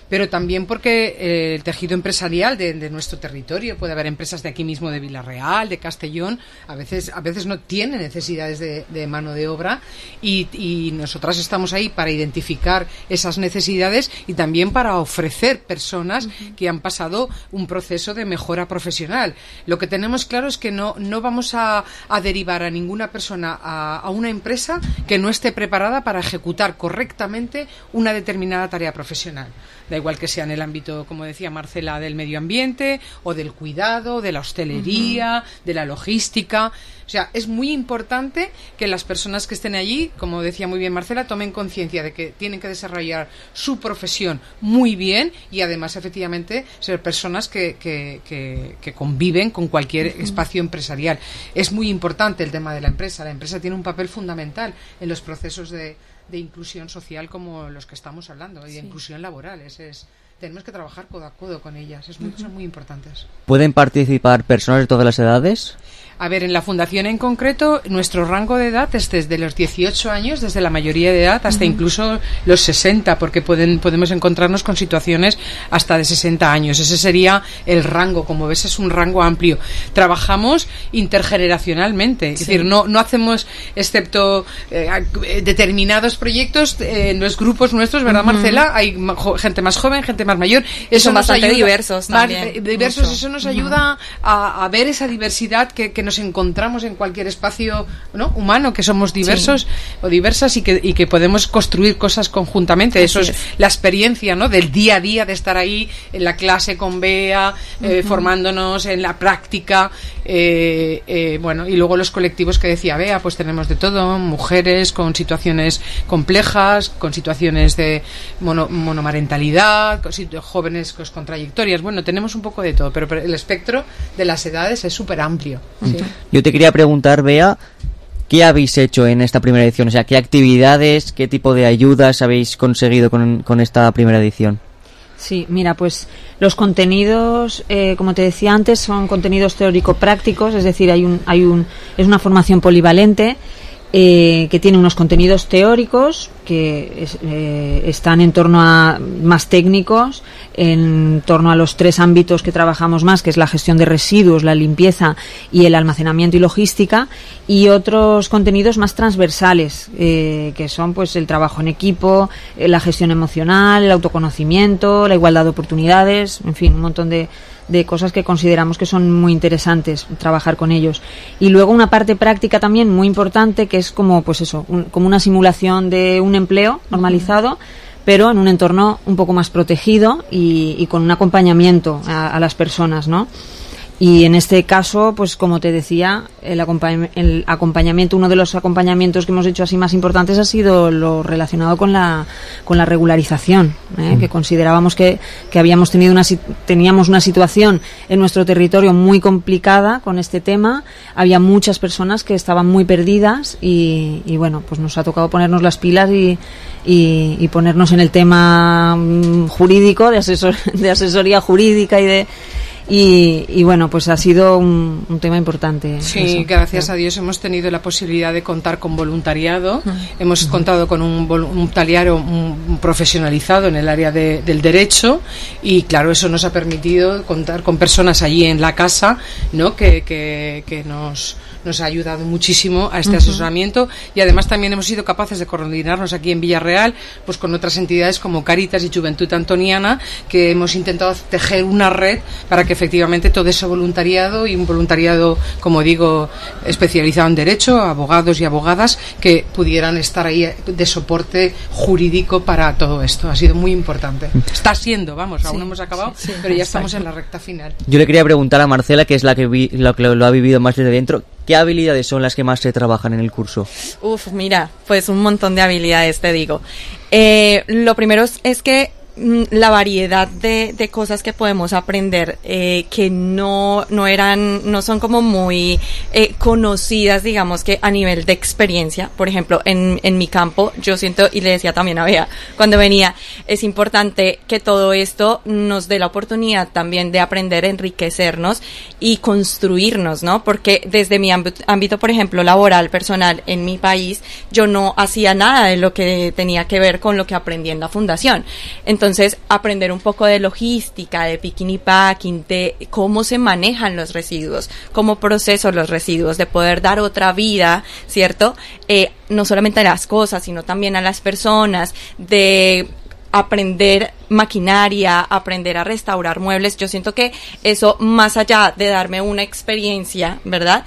Pero también porque eh, el tejido empresarial de, de nuestro territorio, puede haber empresas de aquí mismo, de Villarreal, de Castellón, a veces a veces no tienen necesidades de, de mano de obra, y, y nosotras estamos ahí para identificar esas necesidades y también para ofrecer personas uh-huh. que han pasado un proceso de mejora profesional. Lo que tenemos claro es que no, no vamos a, a derivar a ninguna persona a, a una empresa que no esté preparada para ejecutar correctamente una determinada tarea profesional. Da igual que sea en el ámbito, como decía Marcela, del medio ambiente o del cuidado, de la hostelería, uh-huh. de la logística. O sea, es muy importante que las personas que estén allí, como decía muy bien Marcela, tomen conciencia de que tienen que desarrollar su profesión muy bien y además, efectivamente, ser personas que, que, que, que conviven con cualquier uh-huh. espacio empresarial. Es muy importante el tema de la empresa. La empresa tiene un papel fundamental en los procesos de de inclusión social como los que estamos hablando, y de sí. inclusión laboral. Es, es, tenemos que trabajar codo a codo con ellas, es muy, uh-huh. son muy importantes. ¿Pueden participar personas de todas las edades? A ver, en la fundación en concreto, nuestro rango de edad es desde los dieciocho años, desde la mayoría de edad, hasta uh-huh. incluso los sesenta, porque pueden, podemos encontrarnos con situaciones hasta de sesenta años. Ese sería el rango, como ves, es un rango amplio. Trabajamos intergeneracionalmente, es sí. decir, no, no hacemos, excepto eh, determinados proyectos, eh, en los grupos nuestros, ¿verdad, uh-huh. Marcela? Hay gente más joven, gente más mayor. Eso Son nos bastante ayuda, diversos también. Más, diversos, mucho. Eso nos ayuda uh-huh. a, a ver esa diversidad que, que nos encontramos en cualquier espacio, ¿no?, humano, que somos diversos sí. o diversas y que, y que podemos construir cosas conjuntamente. Así Eso es, es la experiencia, ¿no?, del día a día, de estar ahí en la clase con Bea, eh, uh-huh. formándonos en la práctica, eh, eh, bueno, y luego los colectivos que decía Bea, pues tenemos de todo, mujeres con situaciones complejas, con situaciones de mono, monomarentalidad, con, jóvenes con, con trayectorias, bueno, tenemos un poco de todo, pero, pero el espectro de las edades es súper amplio. Sí. Yo te quería preguntar, Bea, ¿qué habéis hecho en esta primera edición? O sea, ¿qué actividades, qué tipo de ayudas habéis conseguido con, con esta primera edición? Sí, mira, pues los contenidos, eh, como te decía antes, son contenidos teórico-prácticos, es decir, hay un, hay un, es una formación polivalente eh, que tiene unos contenidos teóricos que es, eh, están en torno a más técnicos, en torno a los tres ámbitos que trabajamos más, que es la gestión de residuos, la limpieza y el almacenamiento y logística, y otros contenidos más transversales, eh, que son pues el trabajo en equipo, eh, la gestión emocional, el autoconocimiento, la igualdad de oportunidades, en fin, un montón de de cosas que consideramos que son muy interesantes trabajar con ellos. Y luego una parte práctica también muy importante, que es como pues eso, un, como una simulación de un empleo normalizado, pero en un entorno un poco más protegido y, y con un acompañamiento a, a las personas, ¿no? Y en este caso, pues como te decía, el, acompañ- el acompañamiento, uno de los acompañamientos que hemos hecho así más importantes ha sido lo relacionado con la con la regularización, ¿eh? mm. que considerábamos que, que habíamos tenido una teníamos una situación en nuestro territorio muy complicada con este tema. Había muchas personas que estaban muy perdidas y, y bueno, pues nos ha tocado ponernos las pilas y, y, y ponernos en el tema jurídico, de asesor, de asesoría jurídica y de Y, y bueno, pues ha sido un, un tema importante. Sí, eso. gracias a Dios hemos tenido la posibilidad de contar con voluntariado. Uh-huh. Hemos uh-huh. contado con un voluntariado un, un profesionalizado en el área de, del derecho, y claro, eso nos ha permitido contar con personas allí en la casa, ¿no?, que, que, que nos nos ha ayudado muchísimo a este Ujú. asesoramiento, y además también hemos sido capaces de coordinarnos aquí en Villarreal pues con otras entidades como Caritas y Juventud Antoniana, que hemos intentado tejer una red para que efectivamente todo ese voluntariado, y un voluntariado, como digo, especializado en derecho, abogados y abogadas, que pudieran estar ahí de soporte jurídico para todo esto. Ha sido muy importante. Está siendo, vamos, aún no hemos acabado, sí, sí, pero ya exacto. estamos en la recta final. Yo le quería preguntar a Marcela, que es la que, vi- lo, que lo ha vivido más desde dentro, ¿qué habilidades son las que más se trabajan en el curso? Uf, mira, pues un montón de habilidades, te digo. Eh, lo primero es, es que mm, la variedad de, de cosas que podemos aprender eh, que no no eran no son como muy eh, conocidas, digamos, que a nivel de experiencia. Por ejemplo, en, en mi campo yo siento, y le decía también a Bea cuando venía, es importante que todo esto nos dé la oportunidad también de aprender, enriquecernos y construirnos, ¿no? Porque desde mi ámbito, ámbito, por ejemplo, laboral, personal, en mi país, yo no hacía nada de lo que tenía que ver con lo que aprendí en la fundación. Entonces, aprender un poco de logística, de picking y packing, de cómo se manejan los residuos, cómo proceso los residuos, de poder dar otra vida, ¿cierto? Eh, no solamente a las cosas, sino también a las personas, de aprender maquinaria, aprender a restaurar muebles. Yo siento que eso, más allá de darme una experiencia, ¿verdad?,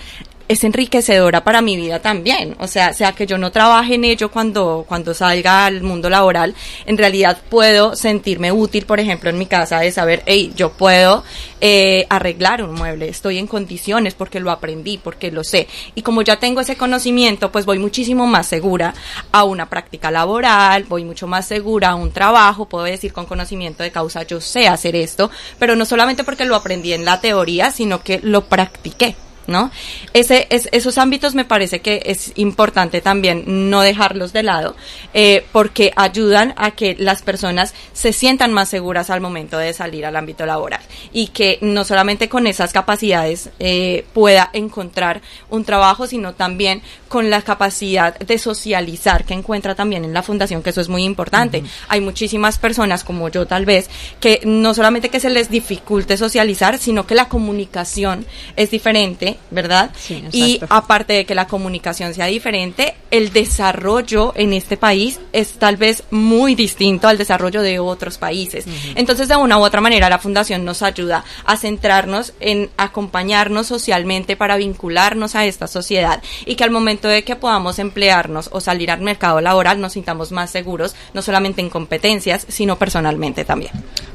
es enriquecedora para mi vida también. O sea, sea que yo no trabaje en ello cuando, cuando salga al mundo laboral, en realidad puedo sentirme útil, por ejemplo, en mi casa, de saber, hey, yo puedo eh, arreglar un mueble, estoy en condiciones porque lo aprendí, porque lo sé. Y como ya tengo ese conocimiento, pues voy muchísimo más segura a una práctica laboral, voy mucho más segura a un trabajo, puedo decir con conocimiento de causa, yo sé hacer esto, pero no solamente porque lo aprendí en la teoría, sino que lo practiqué, ¿no? Ese, es, esos ámbitos me parece que es importante también no dejarlos de lado, eh, porque ayudan a que las personas se sientan más seguras al momento de salir al ámbito laboral, y que no solamente con esas capacidades eh, pueda encontrar un trabajo, sino también con la capacidad de socializar que encuentra también en la fundación, que eso es muy importante. Uh-huh. Hay muchísimas personas como yo, tal vez, que no solamente que se les dificulte socializar, sino que la comunicación es diferente, ¿verdad? Sí, y aparte de que la comunicación sea diferente, el desarrollo en este país es tal vez muy distinto al desarrollo de otros países. Uh-huh. Entonces, de una u otra manera, la fundación nos ayuda a centrarnos en acompañarnos socialmente para vincularnos a esta sociedad, y que al momento de que podamos emplearnos o salir al mercado laboral nos sintamos más seguros, no solamente en competencias, sino personalmente también.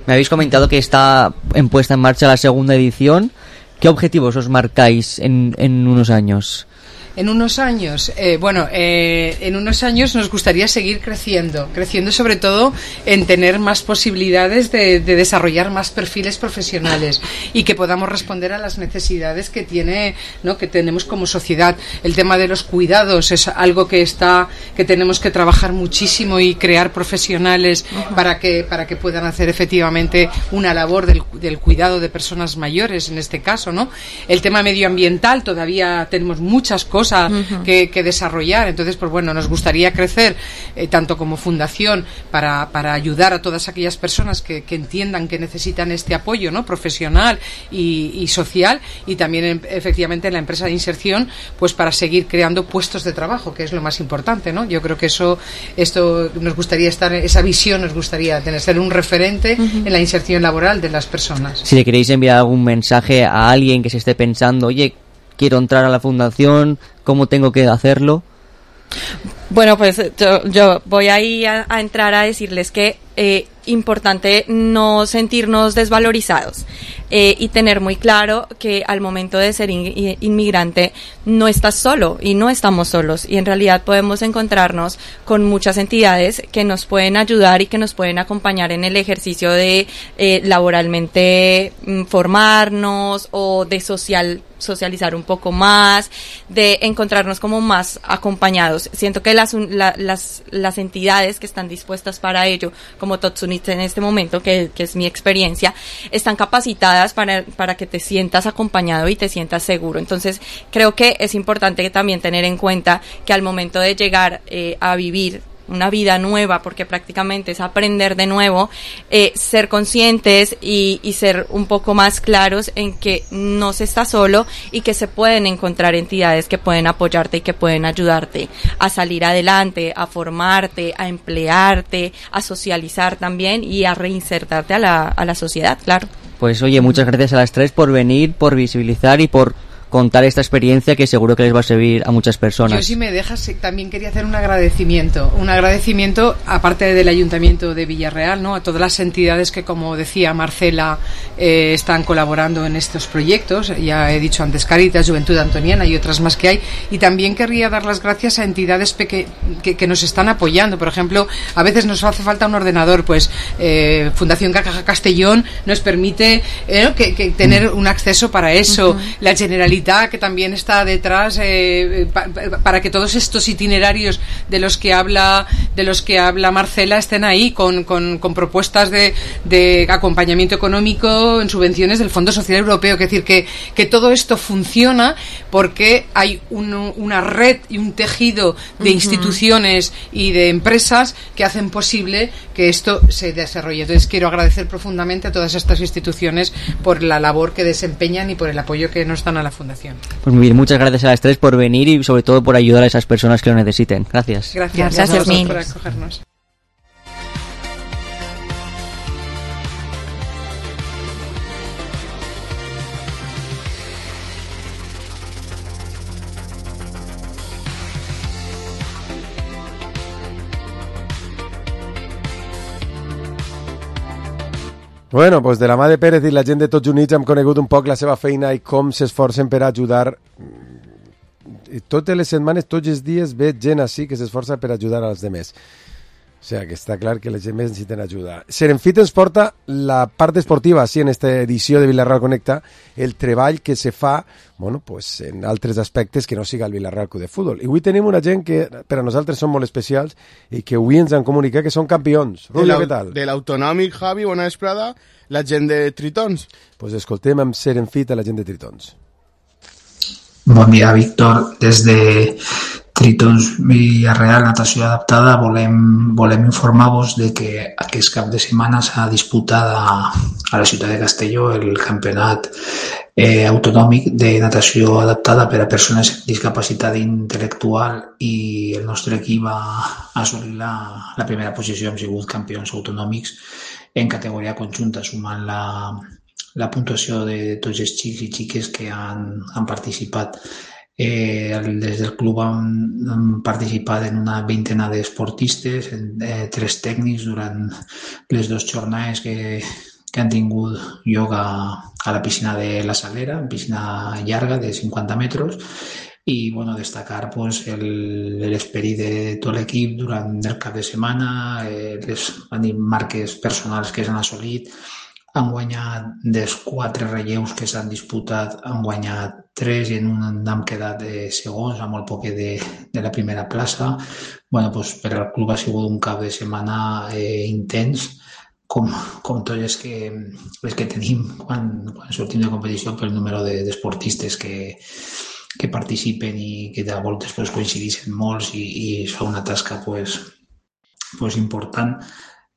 Me habéis comentado que está en puesta en marcha la segunda edición. ¿Qué objetivos os marcáis en, en unos años? En unos años, eh, bueno, eh, en unos años nos gustaría seguir creciendo, creciendo sobre todo en tener más posibilidades de, de desarrollar más perfiles profesionales, y que podamos responder a las necesidades que tiene, ¿no?, que tenemos como sociedad. El tema de los cuidados es algo que está, que tenemos que trabajar muchísimo, y crear profesionales uh-huh. para que para que puedan hacer efectivamente una labor del, del cuidado de personas mayores, en este caso, ¿no? El tema medioambiental, todavía tenemos muchas cosas Uh-huh. Que, que desarrollar. Entonces, pues bueno, nos gustaría crecer eh, tanto como fundación para, para ayudar a todas aquellas personas que, que entiendan que necesitan este apoyo, ¿no?, profesional y, y social, y también en, efectivamente en la empresa de inserción, pues para seguir creando puestos de trabajo, que es lo más importante, ¿no? Yo creo que eso, esto nos gustaría estar, esa visión nos gustaría tener, ser un referente uh-huh. en la inserción laboral de las personas. Si le queréis enviar algún mensaje a alguien que se esté pensando, oye, quiero entrar a la fundación, ¿cómo tengo que hacerlo? Bueno, pues yo, yo voy ahí a, a entrar a decirles que eh, importante no sentirnos desvalorizados eh, y tener muy claro que al momento de ser in, inmigrante no estás solo y no estamos solos, y en realidad podemos encontrarnos con muchas entidades que nos pueden ayudar y que nos pueden acompañar en el ejercicio de eh, laboralmente mm, formarnos, o de social socializar un poco más, de encontrarnos como más acompañados. Siento que las la, las las entidades que están dispuestas para ello, como Totsunit en este momento, que, que es mi experiencia, están capacitadas para, para que te sientas acompañado y te sientas seguro. Entonces, creo que es importante también tener en cuenta que al momento de llegar eh, a vivir una vida nueva, porque prácticamente es aprender de nuevo, eh, ser conscientes y, y ser un poco más claros en que no se está solo y que se pueden encontrar entidades que pueden apoyarte y que pueden ayudarte a salir adelante, a formarte, a emplearte, a socializar también y a reinsertarte a la, a la sociedad, claro. Pues oye, muchas gracias a las tres por venir, por visibilizar y por contar esta experiencia que seguro que les va a servir a muchas personas. Yo, si me dejas, también quería hacer un agradecimiento, un agradecimiento aparte del Ayuntamiento de Villarreal, ¿no?, a todas las entidades que, como decía Marcela, eh, están colaborando en estos proyectos. Ya he dicho antes Cáritas, Juventud Antoniana y otras más que hay. Y también querría dar las gracias a entidades peque- que, que nos están apoyando. Por ejemplo, a veces nos hace falta un ordenador, pues eh, Fundación Caja Castellón nos permite eh, que, que tener un acceso para eso. Uh-huh. La Generalitat, que también está detrás eh, pa, para que todos estos itinerarios de los que habla de los que habla Marcela estén ahí con, con, con propuestas de, de acompañamiento económico en subvenciones del Fondo Social Europeo. Es decir, que, que todo esto funciona porque hay un, una red y un tejido de uh-huh. instituciones y de empresas que hacen posible que esto se desarrolle. Entonces quiero agradecer profundamente a todas estas instituciones por la labor que desempeñan y por el apoyo que nos dan a la Fundación. Pues muy bien, muchas gracias a las tres por venir y sobre todo por ayudar a esas personas que lo necesiten. Gracias. Gracias, gracias a vosotros por acogernos. Bueno, doncs de la mà de Pérez i la gent de Tots Units hem conegut un poc la seva feina i com s'esforcen per ajudar. I totes les setmanes, tots els dies, veig gent així que s'esforça per ajudar als demés. O sigui, que està clar que les gent necessiten ajuda. Serenfit ens porta la part esportiva, sí, en esta edició de Villarreal Connecta, el treball que se fa, bueno, pues, en altres aspectes que no siga el Villarreal Club de Futbol. I avui tenim una gent que per a nosaltres són molt especials i que avui ens han comunicat que són campions. Rulio, què tal? De l'Autonòmic, Javi, bona vesprada, la gent de Tritons. Pues escoltem amb Serenfit a la gent de Tritons. Bon dia, Víctor. Des de Tritons Villarreal Natació Adaptada volem, volem informar-vos de que aquest cap de setmana s'ha disputat a, a la ciutat de Castelló el campionat eh, autonòmic de natació adaptada per a persones amb discapacitat intel·lectual i el nostre equip va assolir la, la primera posició. Hem sigut campions autonòmics en categoria conjunta, sumant la, la puntuació de tots els xics i xiques que han, han participat. Eh, des del club han, han participat en una vintena d'esportistes, eh, tres tècnics durant les dues jornades que, que han tingut lloc a, a la piscina de la Salera, piscina llarga de cinquanta metres, i bueno, destacar pues, l'esperit de tot l'equip durant el cap de setmana, eh, les marques personals que s'han assolit. Han guanyat dels quatre relleus que s'han disputat, han guanyat tres i en un hem quedat de segons, a molt poc de, de la primera plaça. Bueno, pues, per al club ha sigut un cap de setmana eh, intens, com, com tots els que, els que tenim quan, quan sortim de competició pel número de, d'esportistes que, que participen i que de voltes pues, coincideixen molts i, i es fa una tasca pues, pues, important.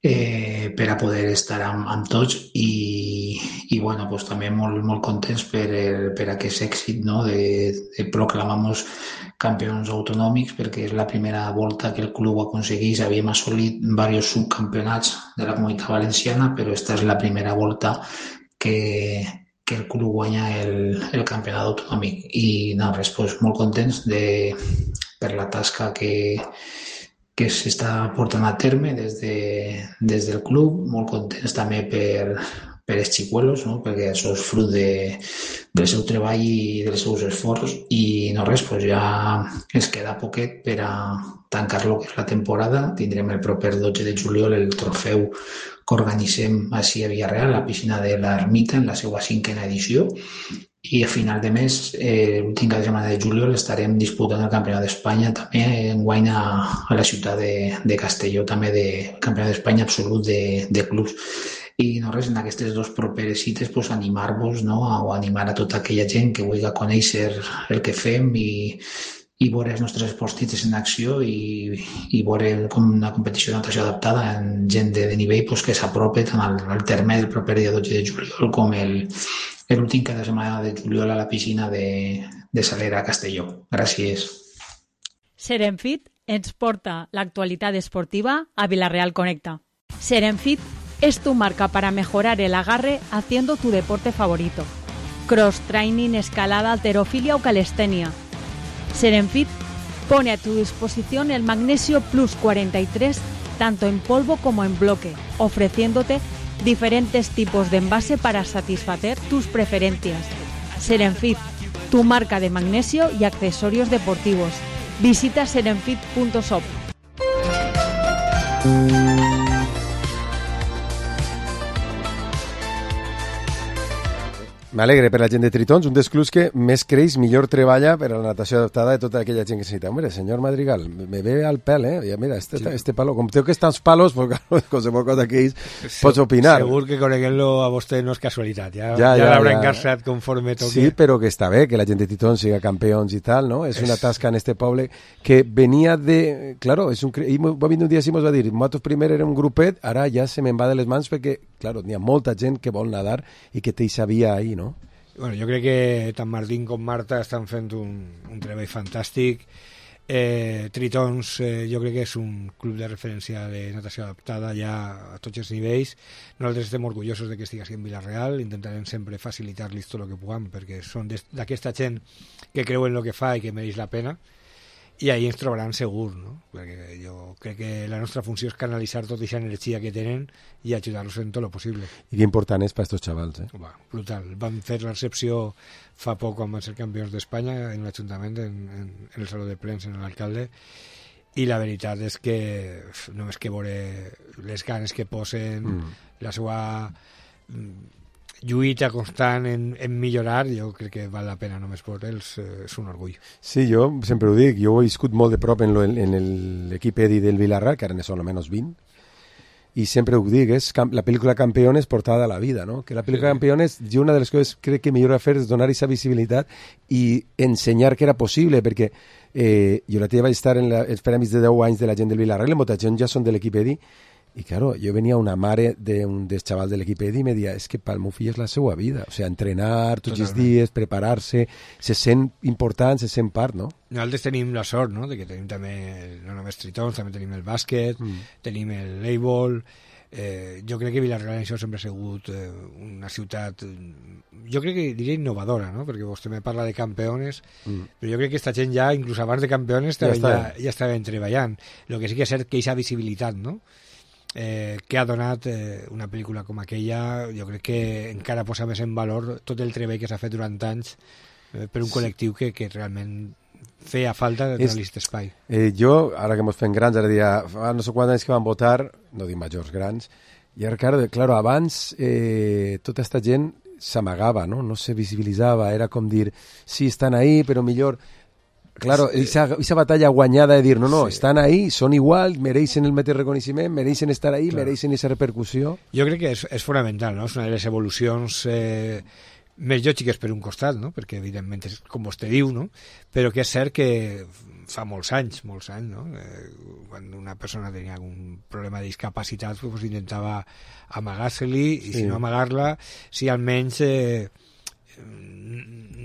Eh, per a poder estar amb, amb tots i, i bueno, pues, també molt, molt contents per, el, per aquest èxit, no? de, de proclamar-nos campions autonòmics, perquè és la primera volta que el club aconsegueix. Havíem assolit diversos subcampionats de la Comunitat Valenciana, però esta és la primera volta que, que el club guanya el, el campionat autonòmic. I no, res, pues, molt contents de, per la tasca que que s'està portant a terme des, de, des del club, molt contents també per, per els xicuelos, no? Perquè això és fruit de, del seu treball i dels seus esforços i no res, pues ja ens queda poquet per a tancar lo que és la temporada. Tindrem el proper dotze de juliol el trofeu que organitzem així a Villarreal, a la piscina de l'Ermita, en la seva cinquena edició. I a final de mes, eh, l'últim cap de setmana de juliol, estarem disputant el Campionat d'Espanya també enguany a, a la ciutat de, de Castelló, també de Campionat d'Espanya absolut de, de clubs. I no res, en aquestes dues properes cites pues, animar-vos, no? O animar a tota aquella gent que vulgui conèixer el que fem i, i veure els nostres esportistes en acció i, i veure com una competició de natació adaptada en gent de, de nivell pues, que s'aprope tant al, al terme del proper dia dotze de juliol com el, l'últim cada setmana de juliol a la piscina de, de Salera a Castelló. Gràcies. Serenfit ens porta l'actualitat esportiva a Villarreal Conecta. Serenfit es tu marca para mejorar el agarre haciendo tu deporte favorito. Cross training, escalada, halterofilia o calistenia. Serenfit pone a tu disposición el Magnesio Plus cuarenta y tres tanto en polvo como en bloque, ofreciéndote diferentes tipos de envase para satisfacer tus preferencias. Serenfit, tu marca de magnesio y accesorios deportivos. Visita serenfit punto shop. M'alegre per la gent de Tritons, un dels clubs que més creix, millor treballa per a la natació adaptada de tota aquella gent que necessita. Hombre, senyor Madrigal, me ve al pèl, eh? Ja, mira, este, sí. este palo, com tengo que estar els palos, pues, claro, qualsevol cosa que ells pots opinar. Segur que coneguent-lo a vostè no és casualitat, ja, ja, ja, ja l'haurà ja. engarçat conforme toque. Sí, però que està bé que la gent de Tritons siga campions i tal, no? És, és... una tasca en este poble que venia de... Claro, és un... I va venir un dia i ens va dir, nosaltres primer era un grupet, ara ja se me'n va de les mans perquè, claro, n'hi ha molta gent que vol nadar i que te hi sabia ahí, no? Bueno, jo crec que tant Martín com Marta estan fent un, un treball fantàstic. Eh, Tritons eh, jo crec que és un club de referència de natació adaptada ja a tots els nivells. Nosaltres estem orgullosos de que estigui en Villarreal, intentarem sempre facilitar-los tot el que puguem perquè són d'aquesta gent que creu en el que fa i que mereix la pena, i ahí ens trobaran segur, no? Perquè jo crec que la nostra funció és canalitzar tota aquesta energia que tenen i ajudar-los en tot el possible. I que important és per a aquests xavals, eh? Va, brutal. Vam fer la recepció fa poc quan van ser campions d'Espanya en l'Ajuntament, en, en, en el Saló de Plens, en l'alcalde, i la veritat és que només que veure les ganes que posen, mm. la seva lluita constant en, en millorar, jo crec que val la pena només per ells, eh, és un orgull. Sí, jo sempre ho dic, jo he viscut molt de prop en, lo, en l'equip Edi del Villarreal, que ara ne són almenys vint, i sempre ho dic, és la pel·lícula Campeones portada a la vida, no? Que la pel·lícula sí. Campeones, jo una de les coses crec que millor a fer és donar aquesta visibilitat i ensenyar que era possible, perquè eh, jo la teva vaig estar en la, els premis de deu anys de la gent del Villarreal, i molta gent ja són de l'equip Edi, i claro, jo venia una mare d'un dels xavals de l'equip Edi i me deia, és que pel meu fill és la seva vida, o sigui, entrenar tots els dies, preparar-se, se sent important, se sent part, no? Nosaltres tenim la sort, no?, de que tenim també, no només Tritons, també tenim el bàsquet, mm. tenim el voleibol, eh, jo crec que Villarreal això sempre ha sigut eh, una ciutat, jo crec que diria innovadora, no?, perquè vostè me parla de campeones, mm. però jo crec que aquesta gent ja, inclús abans de campeones, ja, ja, ja estaven treballant. El que sí que és cert que aquesta visibilitat, no?, Eh, que ha donat eh, una pel·lícula com aquella, jo crec que encara posa més en valor tot el treball que s'ha fet durant anys eh, per un col·lectiu que, que realment feia falta de donar-li aquest espai. Eh, jo, ara que ens fem grans, ara dia, fa no sé quants anys que van votar, no dic majors, grans, i ara, claro, claro abans eh, tota aquesta gent s'amagava, no? No se visibilitzava, era com dir, sí, estan ahí, però millor... Claro, esa, esa batalla guanyada de dir, no, no, sí. Estan ahí, són igual, mereixen el mateix reconeixement, mereixen estar ahí, claro. Mereixen aquesta repercussió. Jo crec que és, és fonamental, no? És una de les evolucions eh, més lògiques per un costat, no? Perquè evidentment és com vostè diu, no? Però que és cert que fa molts anys, molts anys, no? Eh, quan una persona tenia algun problema de discapacitat, pues intentava amagar-se-li, i sí. Si no amagar-la, si almenys... Eh,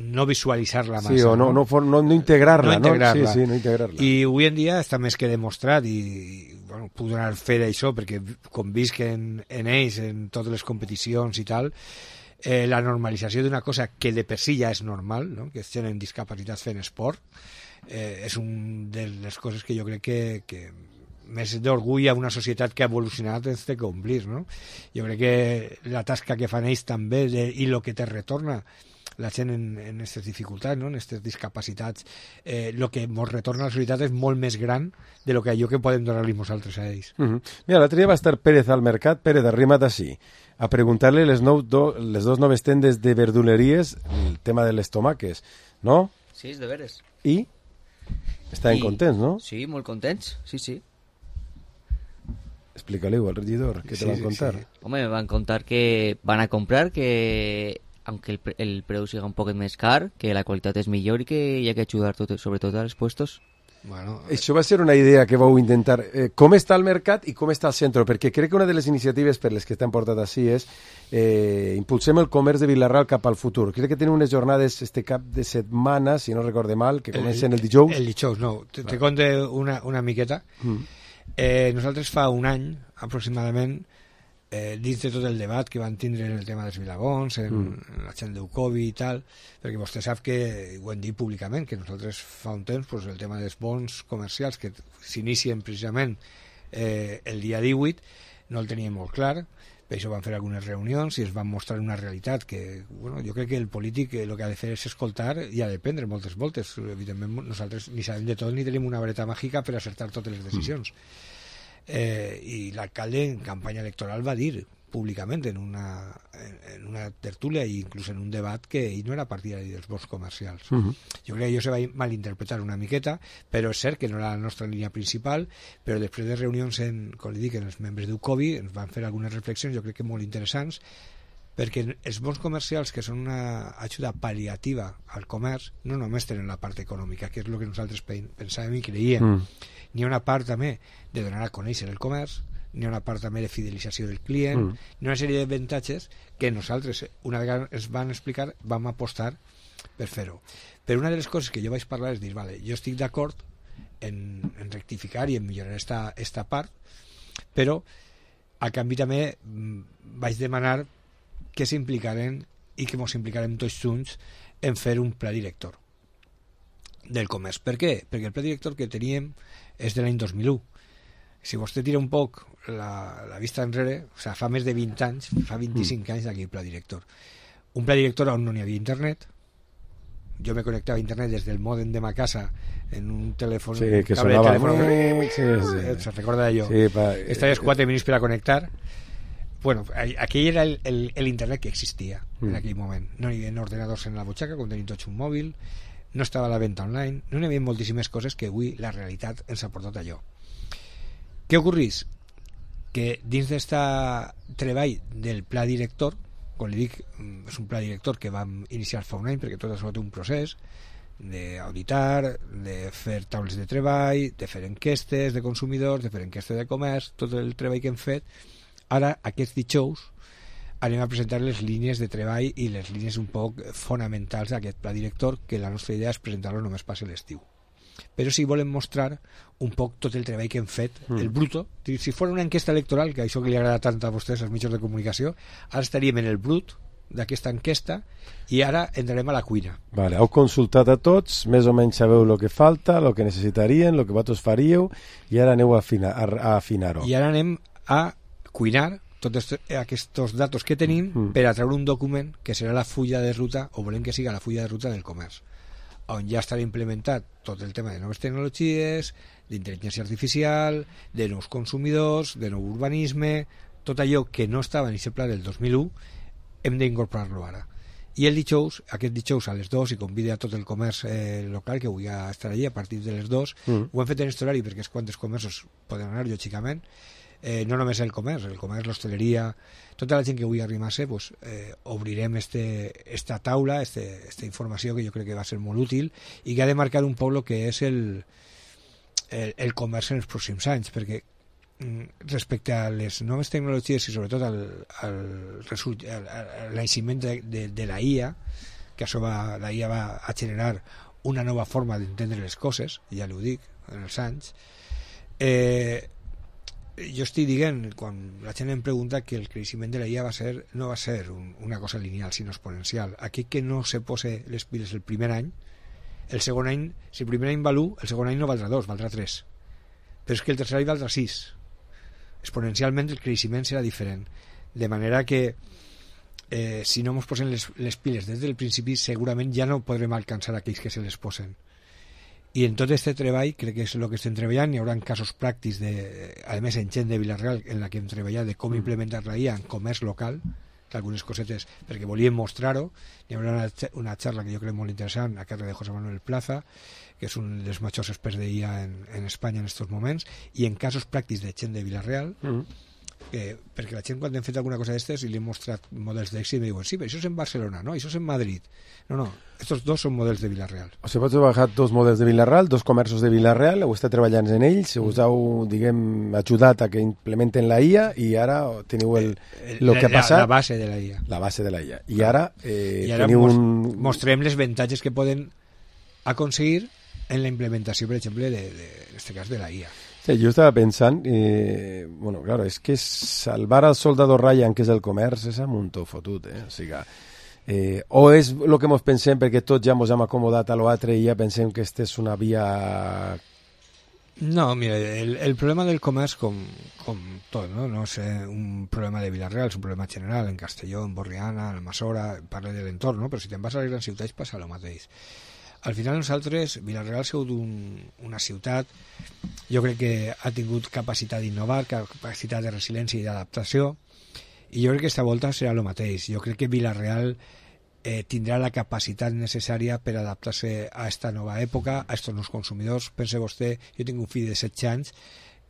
no visualitzar-la massa. Sí, o no, no, no, no integrarla, no? Integrar-la. Sí, sí, no integrarla. I avui en dia està més que demostrat i bueno, puc donar fe d'això perquè com visc en, en ells, en totes les competicions i tal, eh, la normalització d'una cosa que de per si ja és normal, no? Que tenen discapacitats fent esport, eh, és una de les coses que jo crec que, que més d'orgull a una societat que ha evolucionat ens té que omplir, no? Jo crec que la tasca que fan ells també de, i el que te retorna la gent en aquestes dificultats, no? En aquestes discapacitats, el eh, que ens retorna a la societat és molt més gran de lo que allò que podem donar-li nosaltres a ells. Uh -huh. Mira, l'altre dia va estar Pérez al mercat, Pérez, arrima't així, a preguntar-li les, nou, do, les dos noves tendes de verduleries el tema de les tomaques, no? Sí, és de veres. I? Estaven I... contents, no? Sí, molt contents, sí, sí. Explica-li-ho al regidor, què sí, te van contar? Sí. Home, me van contar que van a comprar, que aunque el, pre el preu siga un poquet més car, que la qualitat és millor i que hi ha que ajudar tot, sobretot als puestos. Bueno, això va ser una idea que vau intentar. Eh, com està el mercat i com està el centre? Perquè crec que una de les iniciatives per les que t'han portat així és eh, impulsem el comerç de Vila-real cap al futur. Crec que tenen unes jornades este cap de setmana, si no recorde mal, que comencen el, el dijous. El dijous, no. Te, te conte una, una miqueta. Mm. Eh, nosaltres fa un any, aproximadament, eh, dins de tot el debat que van tindre en el tema dels vilabons, en, mm. en la gent d'Eucovi i tal, perquè vostè sap que, ho hem dit públicament, que nosaltres fa un temps pues, el tema dels bons comercials que s'inicien precisament eh, el dia divuit no el teníem molt clar, per això van fer algunes reunions i es van mostrar una realitat que, bueno, jo crec que el polític el que ha de fer és escoltar i ha de prendre moltes voltes. Evidentment nosaltres ni sabem de tot ni tenim una vareta màgica per acertar totes les decisions. Mm. Eh, i l'alcalde en campanya electoral va dir públicament en una, en, en una tertúlia i inclús en un debat que ell no era partidari dels bons comercials. Uh -huh. Jo crec que això se va malinterpretar una miqueta, però és cert que no era la nostra línia principal, però després de reunions en, com li dic, en els membres d'Eucovi ens van fer algunes reflexions, jo crec que molt interessants, perquè els bons comercials, que són una ajuda pal·liativa al comerç, no només tenen la part econòmica, que és el que nosaltres pensàvem i creiem. Mm. N'hi ha una part també de donar a conèixer el comerç, n'hi ha una part també de fidelització del client, mm. n'hi ha una sèrie d'avantatges que nosaltres, una vegada ens van explicar, vam apostar per fer-ho. Però una de les coses que jo vaig parlar és dir, vale, jo estic d'acord en, en rectificar i en millorar esta, esta part, però a canvi també vaig demanar que s'implicarem i que ens implicarem tots junts en fer un pla director del comerç. Per què? Perquè el pla director que teníem és de l'any dos mil u. Si vostè tira un poc la, la vista enrere, o sigui, fa més de vint anys, fa vint-i-cinc mm. anys d'aquí el pla director. Un pla director on no n'hi havia internet. Jo me connectava a internet des del mòdem de ma casa en un telèfon, sí, que cable sonava. de telèfon. Sí, sí. Se recorda d'allò. Sí, pa... Estaves quatre minuts per a connectar. Bueno, aquell era el, el, el internet que existia mm. en aquell moment. No hi havia ordenadors en la butxaca, com tenim tots un mòbil, no estava a la venda online, no hi havia moltíssimes coses que avui la realitat ens ha portat allò. Què ocorrís? Que dins d'aquest treball del pla director, com li dic, és un pla director que vam iniciar fa un any, perquè tot això té un procés d'auditar, de fer taules de treball, de fer enquestes de consumidors, de fer enquestes de comerç, tot el treball que hem fet. Ara, aquests dijous, anem a presentar les línies de treball i les línies un poc fonamentals d'aquest pla director, que la nostra idea és presentar-lo només passi l'estiu. Però sí volem mostrar un poc tot el treball que hem fet, mm. el bruto. Si fos una enquesta electoral, que això que li agrada tant a vostès, als mitjans de comunicació, ara estaríem en el brut d'aquesta enquesta i ara entrarem a la cuina. Vale, heu consultat a tots, més o menys sabeu el que falta, el que necessitarien, el que vosaltres faríeu, i ara aneu a afinar, a afinar-ho. I ara anem a cuinar tots aquests datos que tenim mm. per a treure un document que serà la fulla de ruta, o volem que siga la fulla de ruta del comerç, on ja estarà implementat tot el tema de noves tecnologies, d'intel·ligència artificial, de nous consumidors, de nou urbanisme, tot allò que no estava en aquest pla del dos mil u, hem d'incorporar-lo ara. I el dijous, aquest dijous a les dues, i convida a tot el comerç eh, local que vull estar allí a partir de les dues, mm. ho hem fet en aquest horari perquè és quan els comerços poden anar, lògicament, eh, no només el comerç, el comerç, l'hostaleria, tota la gent que vull arribar-se, pues, eh, obrirem este, esta taula, este, esta informació que jo crec que va ser molt útil i que ha de marcar un poc el que és el, el, el comerç en els pròxims anys, perquè respecte a les noves tecnologies i sobretot al, al, result, al, al naixement de, de, de la I A, que això va, la I A va a generar una nova forma d'entendre les coses, ja ho dic, en els anys, eh, jo estic dient, quan la gent em pregunta, que el creixement de la I A va ser, no va ser un, una cosa lineal, sinó exponencial. Aquell que no se pose les piles el primer any, el segon any, si el primer any val u, el segon any no valdrà dos, valdrà tres. Però és que el tercer any valdrà sis. Exponencialment el creixement serà diferent. De manera que eh, si no ens posen les, les piles des del principi, segurament ja no podrem alcançar aquells que se les posen. I en tot aquest treball, crec que és el que estem treballant, hi haurà casos pràctics, de, a més en gent de Vila-real, en la que hem treballat, de com implementar la I A en comerç local, algunes cosetes, perquè volíem mostrar-ho. Hi haurà una, una xarra que jo crec molt interessant a càrrec de José Manuel Plaza, que és un dels majors experts de I A en, en Espanya en aquests moments, i en casos pràctics de gent de Vila-real, mm. que, perquè la gent quan hem fet alguna cosa d'estes i li hem mostrat models d'èxit me diuen, sí, però això és en Barcelona, no, això és en Madrid. No, no, estos dos són models de Vila-real. O sigui, pots treballar dos models de Vila-real, dos comerços de Vila-real, heu estat treballant en ells, us heu, diguem, ajudat a que implementen la I A i ara teniu el, el, el que ha passat... La, la base de la I A. La base de la I A. I ara, eh, I ara teniu mos, un... mostrem les avantatges que poden aconseguir en la implementació, per exemple, de, de, en este cas, de la I A. Sí, jo estava pensant, eh, bueno, claro, és que salvar al soldado Ryan, que és el comerç, és un muntó fotut, eh? O sigui, eh, o és el que ens pensem perquè tots ja ens hem acomodat a l'altre i ja pensem que aquesta és una via... No, mira, el, el problema del comerç, com, com tot, no? No és un problema de Vila-real, és un problema general, en Castelló, en Borriana, en Almassora, parla de l'entorn, no? Però si te'n vas a les grans ciutats passa el mateix. Al final nosaltres, Vila-real ha sigut un, una ciutat, jo crec que ha tingut capacitat d'innovar, capacitat de resiliència i d'adaptació, i jo crec que aquesta volta serà el mateix. Jo crec que Vila-real eh, tindrà la capacitat necessària per adaptar-se a aquesta nova època, a aquests nous consumidors. Pense vostè, jo tinc un fill de setze anys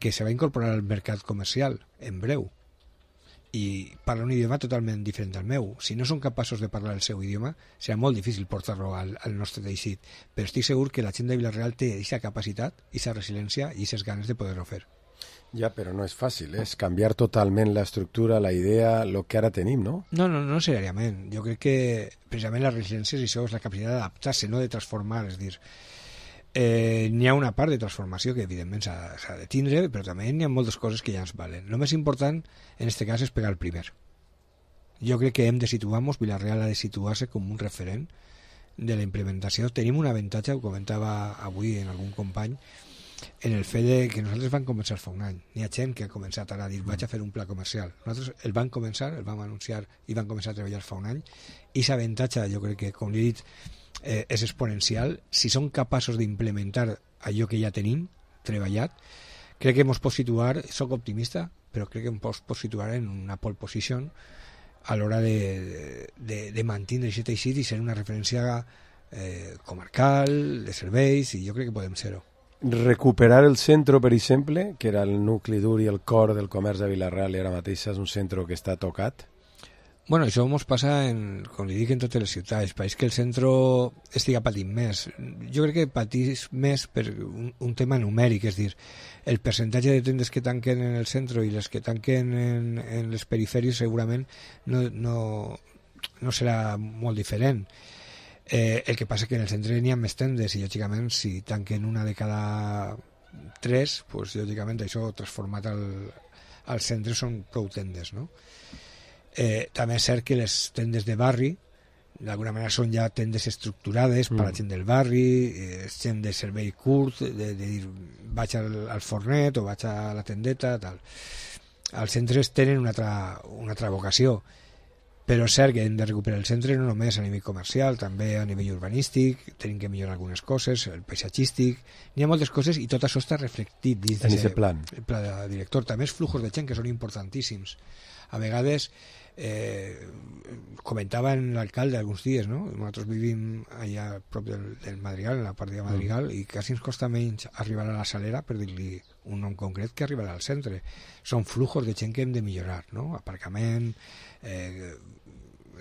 que se va incorporar al mercat comercial en breu, i parla un idioma totalment diferent del meu. Si no són capaços de parlar el seu idioma, serà molt difícil portar-lo al, al nostre teixit, però estic segur que la gent de Vila-real té aquesta capacitat, aquesta resiliència i aquestes ganes de poder-ho fer. Ja, però no és fàcil, eh? És canviar totalment l'estructura, la idea, el que ara tenim, no? No, no, no necessàriament. Jo crec que precisament la resiliència és això, és la capacitat d'adaptar-se, no de transformar, és dir, eh, n'hi ha una part de transformació que evidentment s'ha de tindre, però també n'hi ha moltes coses que ja ens valen. El més important en aquest cas és pegar el primer. Jo crec que hem de situar-nos, Vila-real ha de situar-se com un referent de la implementació. Tenim un avantatge, ho comentava avui en algun company, en el fet de que nosaltres vam començar fa un any. N'hi ha gent que ha començat ara a dir vaig a fer un pla comercial. Nosaltres el vam començar, el vam anunciar i vam començar a treballar fa un any, i aquest avantatge jo crec que, com li he dit, eh, és exponencial. Si som capaços d'implementar allò que ja tenim treballat, crec que ens pot situar, soc optimista, però crec que ens pot situar en una pole position a l'hora de, de, de mantenir aquest teixit i ser una referència eh, comarcal, de serveis, i jo crec que podem ser-ho. Recuperar el centre, per exemple, que era el nucli dur i el cor del comerç de Vila-real, i ara mateix és un centre que està tocat? Bueno, això ens passa, en, com li dic, en totes les ciutats. Pareix que el centre estiga patint més. Jo crec que patís més per un, un tema numèric, és dir, el percentatge de tendes que tanquen en el centre i les que tanquen en, en les perifèries segurament no, no, no serà molt diferent. Eh, el que passa que en el centre n'hi ha més tendes i lògicament si tanquen una de cada tres, pues, lògicament això transformat al, al centre són prou tendes, no? Eh, també és cert que les tendes de barri d'alguna manera són ja tendes estructurades mm. per a la gent del barri, eh, gent de servei curt, de, de dir vaig al, al fornet o vaig a la tendeta, tal. Els centres tenen una altra, una altra vocació, però és cert que hem de recuperar el centre no només a nivell comercial, també a nivell urbanístic, tenim que millorar algunes coses, el paisatgístic, n'hi ha moltes coses i tot això està reflectit dins en aquest plan. El pla de director. També els fluxos de gent que són importantíssims. A vegades eh, comentava en l'alcalde alguns dies, no? Nosaltres vivim allà a prop del, del Madrigal, en la part de Madrigal, mm. i quasi ens costa menys arribar a la Salera, per dir-li un nom concret, que arribar al centre. Són fluxos de gent que hem de millorar, no? Aparcament, eh,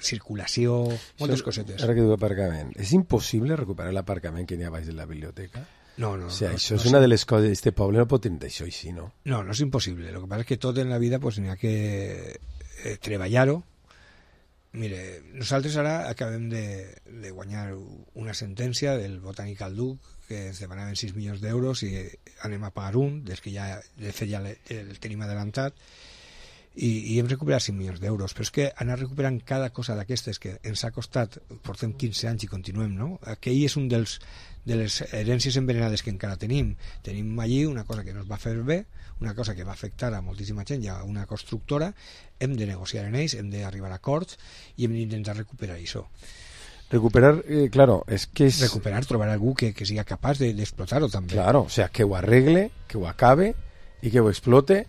circulació, moltes això, cosetes. Ara que diu aparcament, és impossible recuperar l'aparcament que n'hi ha baix de la biblioteca? No, no. O sigui, no, això no, és una de les coses, este poble no pot tenir això així, no? No, no és impossible. El que passa és que tot en la vida pues, n'hi ha que eh, treballar-ho. Mire, nosaltres ara acabem de, de guanyar una sentència del Botànic al Duc que ens demanaven sis milions d'euros i anem a pagar un, des que ja, de fet ja el tenim adelantat, i, i hem recuperat cinc milions d'euros, però és que anar recuperant cada cosa d'aquestes que ens ha costat, portem quinze anys i continuem, no? Aquell és un dels de les herències envenenades que encara tenim. Tenim allí una cosa que no es va fer bé, una cosa que va afectar a moltíssima gent i a una constructora, hem de negociar en ells, hem d'arribar a acords i hem d'intentar recuperar això. Recuperar, eh, claro, es que es... Recuperar, trobar algú que, que siga capaç de, de explotar-ho també. Claro, o sea, que ho arregle, que ho acabe i que ho explote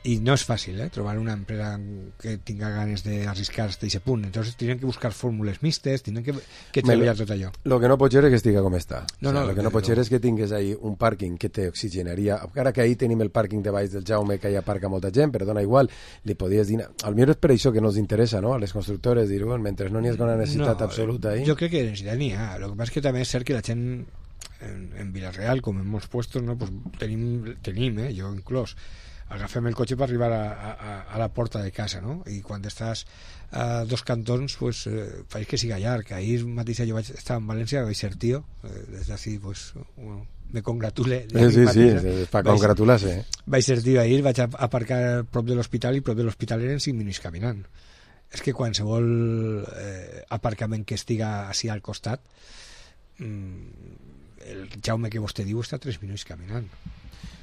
y no es fácil, ¿eh? Trobar una empresa que tenga ganes d'arriscar hasta ese punt. Entonces tienen que buscar fórmules mixtes, tienen que, que treballar tot allò. Lo que no pot ser és que estiga com està. No, o sea, no, lo que no pot ser és que tingués ahí un pàrquing que te oxigenaria. Ara que ahí tenim el pàrquing de baix del Jaume, que hi aparca molta gent, però dona igual, li podies dir... Al millor és per això que no ens interessa, no?, a les constructores, dir, bueno, mentre no n'hi ha una necessitat no, absoluta ahí... Jo crec que necessitat n'hi ha. Lo que passa és que també és cert que la gent en, en Vilareal, com en molts puestos, no, pues tenim, tenim, eh, jo inclòs, agafem el cotxe per arribar a, a, a la porta de casa, no? I quan estàs a dos cantons, pues, eh, faig que siga llarg. Ahir mateix jo vaig estar en València, vaig ser tío, eh, des d'ací, pues, bueno, me congratule. Sí, sí, sí, sí, per congratular-se. Eh? Vaig ser tío ahir, vaig aparcar prop de l'hospital i prop de l'hospital eren cinc minuts caminant. És que qualsevol eh, aparcament que estiga així al costat, mmm, el Jaume que vostè diu està tres minuts caminant.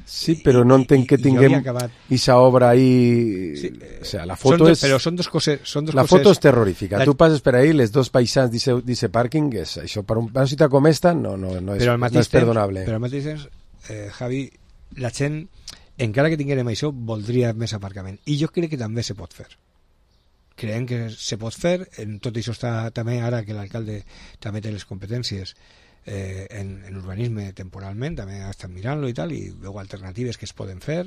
Sí, però no entenc que tinguem aquesta obra ahí... Sí, o sea, la foto dos, és... Però són dos coses... Són dos la coses... foto és terrorífica. La... Tu passes per ahí, les dos paisans d'aquest pàrquing, és, això per una ciutat com esta no, no, no, és, no és perdonable. Però al mateix temps, eh, Javi, la gent, encara que tinguérem això, voldria més aparcament. I jo crec que també se pot fer. Creiem que se pot fer, en tot això està també ara que l'alcalde també té les competències eh, en, en urbanisme temporalment, també ha estat mirant-lo i tal, i veu alternatives que es poden fer,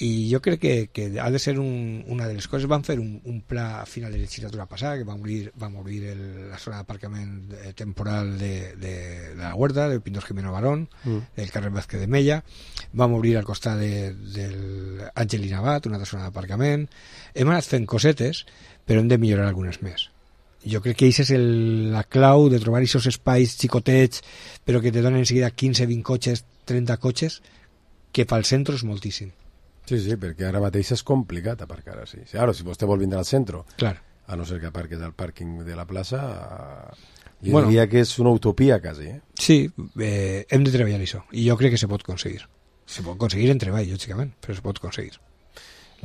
i jo crec que, que ha de ser un, una de les coses. Van fer un, un pla a final de la legislatura passada que va obrir, va obrir el, la zona d'aparcament eh, temporal de, de, de la Huerta, de Pintos Jimeno Barón, mm. del carrer Vázquez de Mella. Vam obrir al costat de, del Angelina Abad, una altra zona d'aparcament. Hem anat fent cosetes, però hem de millorar algunes més. Jo crec que això és el, la clau de trobar aquests espais xicotets, però que te donen enseguida quinze, vint cotxes, trenta cotxes, que pel centre és moltíssim. Sí, sí, perquè ara mateix és complicat aparcar així. Ara, si vostè vol vindre al centre, claro, a no ser que aparques al pàrquing de la plaça, jo bueno, diria que és una utopia, quasi. Eh? Sí, eh, hem de treballar això, i jo crec que se pot aconseguir. Se pot aconseguir en treball, lògicament, però se pot aconseguir.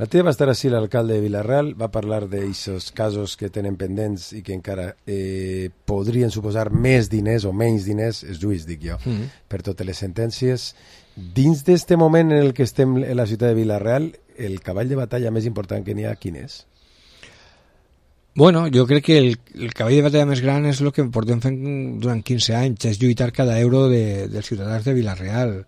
La teva va estar així, l'alcalde de Vilareal, va parlar d'aquests casos que tenen pendents i que encara eh, podrien suposar més diners o menys diners, és juís, dic jo, mm-hmm. per totes les sentències. Dins d'aquest moment en el que estem en la ciutat de Vilareal, el cavall de batalla més important que n'hi ha, quin és? Bueno, jo crec que el, el cavall de batalla més gran és el que portem fent durant quinze anys, és lluitar cada euro de, dels ciutadans de Vilareal.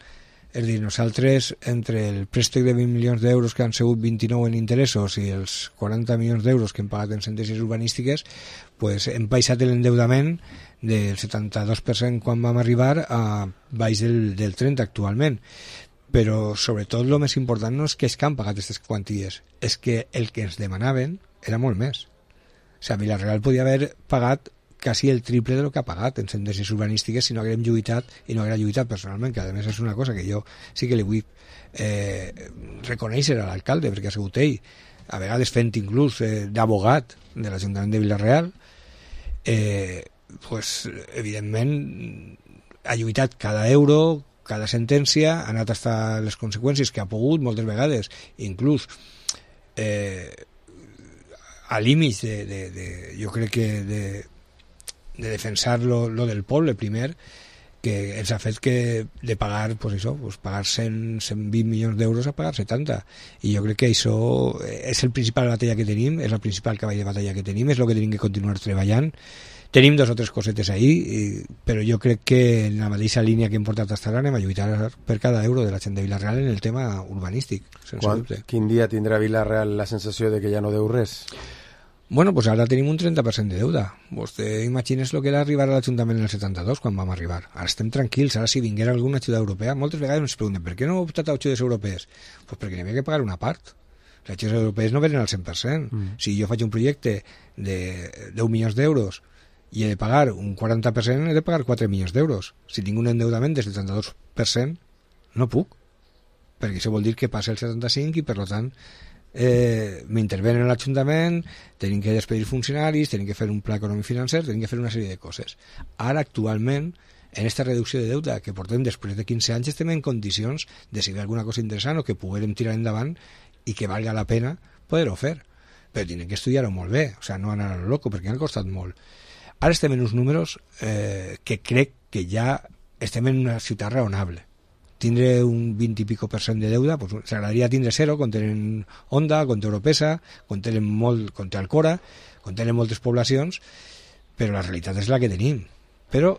És dir, nosaltres, entre el préstec de vint milions d'euros que han sigut vint-i-nou en interessos i els quaranta milions d'euros que hem pagat en sentències urbanístiques, pues, hem baixat l'endeudament del setanta-dos per cent quan vam arribar a baix del, del trenta actualment. Però, sobretot, el més important no és que és que han pagat aquestes quanties, és que el que ens demanaven era molt més. O sigui, Vilareal podia haver pagat quasi el triple de lo que ha pagat en sentències urbanístiques si no haguem lluitat i no haguera lluitat personalment, que a més és una cosa que jo sí que li vull eh, reconèixer a l'alcalde, perquè ha sigut ell, a vegades fent inclús eh, d'abogat de l'Ajuntament de Vilareal, eh, pues, evidentment ha lluitat cada euro, cada sentència, ha anat fins a les conseqüències que ha pogut moltes vegades, inclús eh, a límits de, de, de, jo crec que de de defensar lo, lo del poble primer, que ens ha fet que de pagar, pues això, pues pagar cent, cent vint milions d'euros a pagar setanta, i jo crec que això és el principal batalla que tenim, és el principal cavall de batalla que tenim, és el que tenim que continuar treballant. Tenim dos o tres cosetes ahí, i, però jo crec que en la mateixa línia que hem portat hasta ara anem a lluitar per cada euro de la gent de Vilareal en el tema urbanístic, sense Quan, dubte. Quin dia tindrà Vilareal la sensació de que ja no deu res? Bueno, pues ara tenim un trenta per cent de deuda. Vostè imagines el que era arribar a l'Ajuntament en el setanta-dos, quan vam arribar. Ara estem tranquils, ara si vinguera alguna ajuda europea, moltes vegades ens pregunten per què no heu optat a ajudes europees? Pues perquè n'hi havia que pagar una part. Les ajudes europees no venen al cent per cent. Mm. Si jo faig un projecte de deu milions d'euros i he de pagar un quaranta per cent, he de pagar quatre milions d'euros. Si tinc un endeudament del setanta-dos per cent, no puc. Perquè això vol dir que passa el setanta-cinc i, per tant, Eh, m'intervenen a l'Ajuntament, tenim que despedir funcionaris, tenim que fer un pla econòmic financer, tenim que fer una sèrie de coses. Ara, actualment, en aquesta reducció de deute que portem després de quinze anys, estem en condicions de si hi ha alguna cosa interessant o que puguem tirar endavant i que valga la pena poder-ho fer. Però tenim que estudiar-ho molt bé, o sigui, no anar a lo loco, perquè han costat molt. Ara estem en uns números eh, que crec que ja estem en una ciutat raonable. tindre un vint i pico per cent de deuda, pues, s'agradaria tindre zero, quan tenen Honda, quan té Europesa, quan tenen molt, quan té Alcora, quan tenen moltes poblacions, però la realitat és la que tenim. Però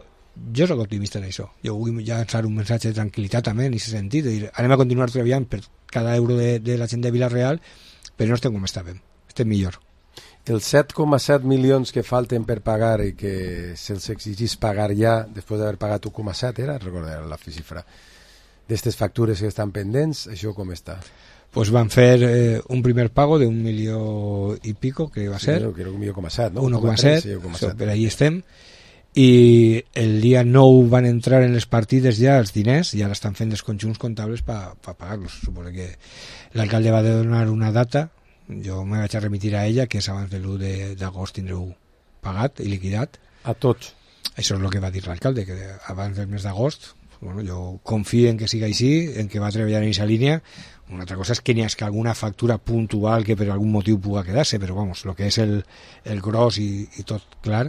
jo soc optimista en això. Jo vull llançar un missatge de tranquil·litat també en aquest sentit, de dir, anem a continuar treballant per cada euro de, de la gent de Vila-real, però no estem com estàvem, estem millor. Els set coma set milions que falten per pagar i que se'ls exigís pagar ja després d'haver pagat un coma set, era, recordar la xifra, d'estes factures que estan pendents, això com està? Pues van fer eh, un primer pago de un milió i pico, que va ser. Sí, creo que un milió coma set, no? un coma set, sí, so, per ahí estem. I el dia nou van entrar en les partides ja els diners, ja l'estan fent els conjunts comptables per pa pagar-los. Suposo que l'alcalde va donar una data, jo me vaig a remitir a ella, que és abans de l'u d'agost tindreu pagat i liquidat. A tots? Això és el que va dir l'alcalde, que abans del mes d'agost. Bueno, jo confio en que siga així, en que va treballar en aquesta línia. Una altra cosa és que n'hi ha alguna factura puntual que per algun motiu puga quedar-se, però vamos, el que és el, el gros i, i tot clar,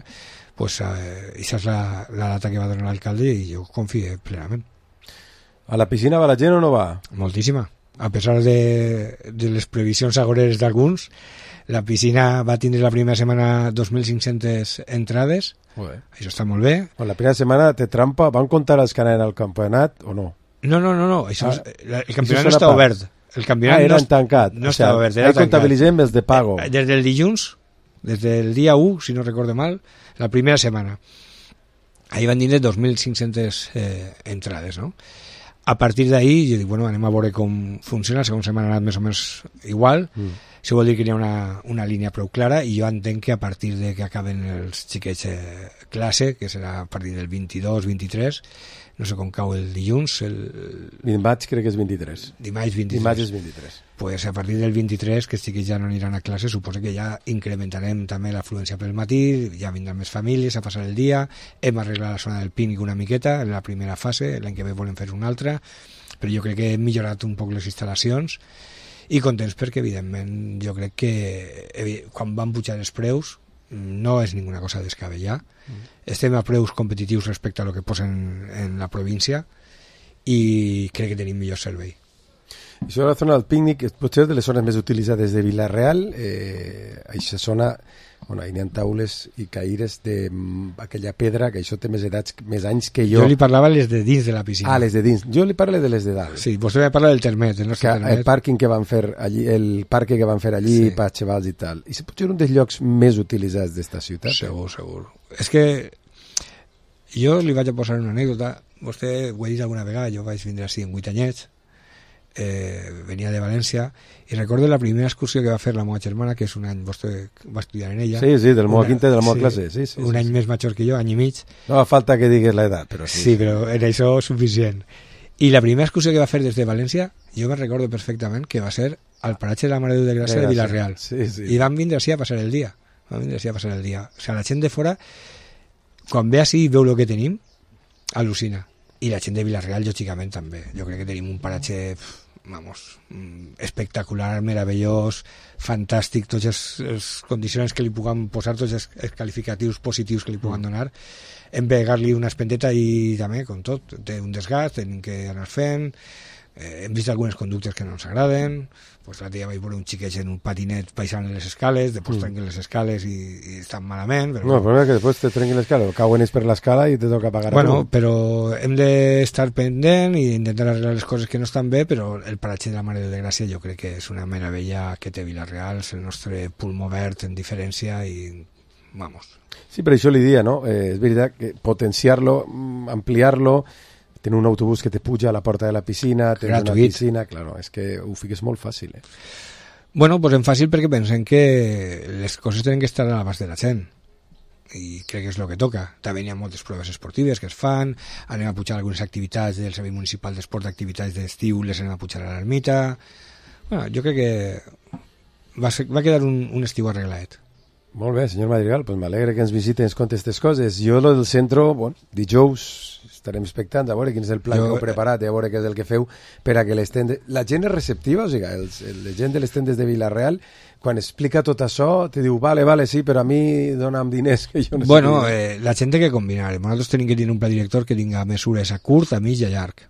pues eh, això és la, la data que va donar l'alcalde i jo confio plenament. A la piscina va la gent o no va? Moltíssima. A pesar de, de les previsions agoreres d'alguns, la piscina va tindre la primera setmana dos mil cinc-centes entrades. Joder. Això està molt bé. Bueno, la primera setmana té trampa. Van comptar els que anaven al campionat o no? No, no, no, no. Això ah, és, el campionat no està obert. El campionat ah, eren no, tancat. No o sea, està obert. Ahí comptabilitzem els de pago. Des del dilluns, des del dia u, si no recordo mal, la primera setmana. Ahí van tindre dos mil cinc-centes eh, entrades, no? A partir d'ahí, jo dic, bueno, anem a veure com funciona. La segona setmana ha anat més o menys igual. Mm. Això vol dir que hi ha una, una línia prou clara i jo entenc que a partir de que acaben els xiquets eh, classe, que serà a partir del vint-i-dos vint-i-tres, no sé com cau el dilluns, el... Dimarts crec que és vint-i-tres. Dimarts vint-i-tres. Dimarts és vint-i-tres. Pues a partir del vint-i-tres, que els xiquets ja no aniran a classe, suposo que ja incrementarem també l'afluència pel matí, ja vindran més famílies a passar el dia, hem arreglat la zona del pícnic una miqueta, en la primera fase, l'any que ve volem fer una altra, però jo crec que hem millorat un poc les instal·lacions, i contents perquè, evidentment, jo crec que quan van pujar els preus no és ninguna cosa descabellada. Mm. Estem a preus competitius respecte a lo que posen en la província i crec que tenim millor servei. Això de la zona del pícnic potser és de les zones més utilitzades de Vila-real. Eh, aquesta zona, bueno, hi ha taules i caires d'aquella pedra, que això té més edats, més anys que jo. Jo li parlava les de dins de la piscina. Ah, les de dins. Jo li parlo de les de dalt. Sí, vostè me parla del termet, del nostre termet. El pàrquing que van fer allí, el parc que van fer allí sí. per xavals i tal. I potser un dels llocs més utilitzats d'esta ciutat. Segur, segur. És que jo li vaig a posar una anècdota. Vostè ho he dit alguna vegada, jo vaig vindre així en vuit anyets. Eh, venia de València i recordo la primera excursió que va fer la meva germana, que és un any, vostè va estudiar en ella, sí, sí, del meu quinta de la meva sí, classe sí, sí, un sí, any sí. més major que jo, any i mig, no fa falta que digues l'edat però sí, sí, però en això suficient. I la primera excursió que va fer des de València jo me recordo perfectament que va ser al paratge de la Mare de Déu de Gràcia de Vila-real sí, sí. i van vindre així a passar el dia van vindre així a passar el dia, o sigui, la gent de fora quan ve així i veu el que tenim al·lucina, i la gent de Vila-real lògicament també, jo crec que tenim un paratge vamos, espectacular, meravellós, fantàstic, tots els, els condicions que li puguem posar, tots els, els qualificatius positius que li puguem donar, hem de pegar-li una espendeta i també, com tot, té un desgast, tenim que anar fent, eh, hem vist algunes conductes que no ens agraden, pues l'altre dia vaig veure un xiquet en un patinet baixant les escales, després mm. trenquen les escales i, i estan malament. Però no, el problema és que després te trenquen l'escala, cauen per l'escala i te toca pagar bueno, a tu. Però hem d'estar pendent i intentar arreglar les coses que no estan bé, però el paratge de la Mare de Déu de Gràcia jo crec que és una meravella que té Vila-real, és el nostre pulmó verd en diferència i vamos. Sí, per això li dia, no? Eh, és veritat que potenciar-lo, ampliar-lo, tenir un autobús que te puja a la porta de la piscina, tenir una piscina, claro, és que ho fiques molt fàcil, eh? Bueno, pues en fàcil perquè pensem que les coses tenen que estar a l'abast de la gent i crec que és el que toca. També hi ha moltes proves esportives que es fan, anem a pujar algunes activitats del Servei Municipal d'Esport, d'activitats d'estiu, les anem a pujar a l'ermita. Bueno, jo crec que va, ser, va quedar un, un estiu arreglat. Molt bé, senyor Madrigal, pues m'alegre que ens visite i ens conti aquestes coses. Jo, lo del centre, bueno, dijous estarem expectants a veure quin és el pla jo, que heu preparat i a veure què és el que feu per a que les tendes... La gent és receptiva, o sigui, els, el, la gent de les tendes de Vila-real, quan explica tot això, te diu, vale, vale, sí, però a mi dona'm diners que jo necessito. Bueno, eh, la gent té que combinar. Nosaltres tenim que tenir un pla director que tinga mesures a curt, a mig i a llarg.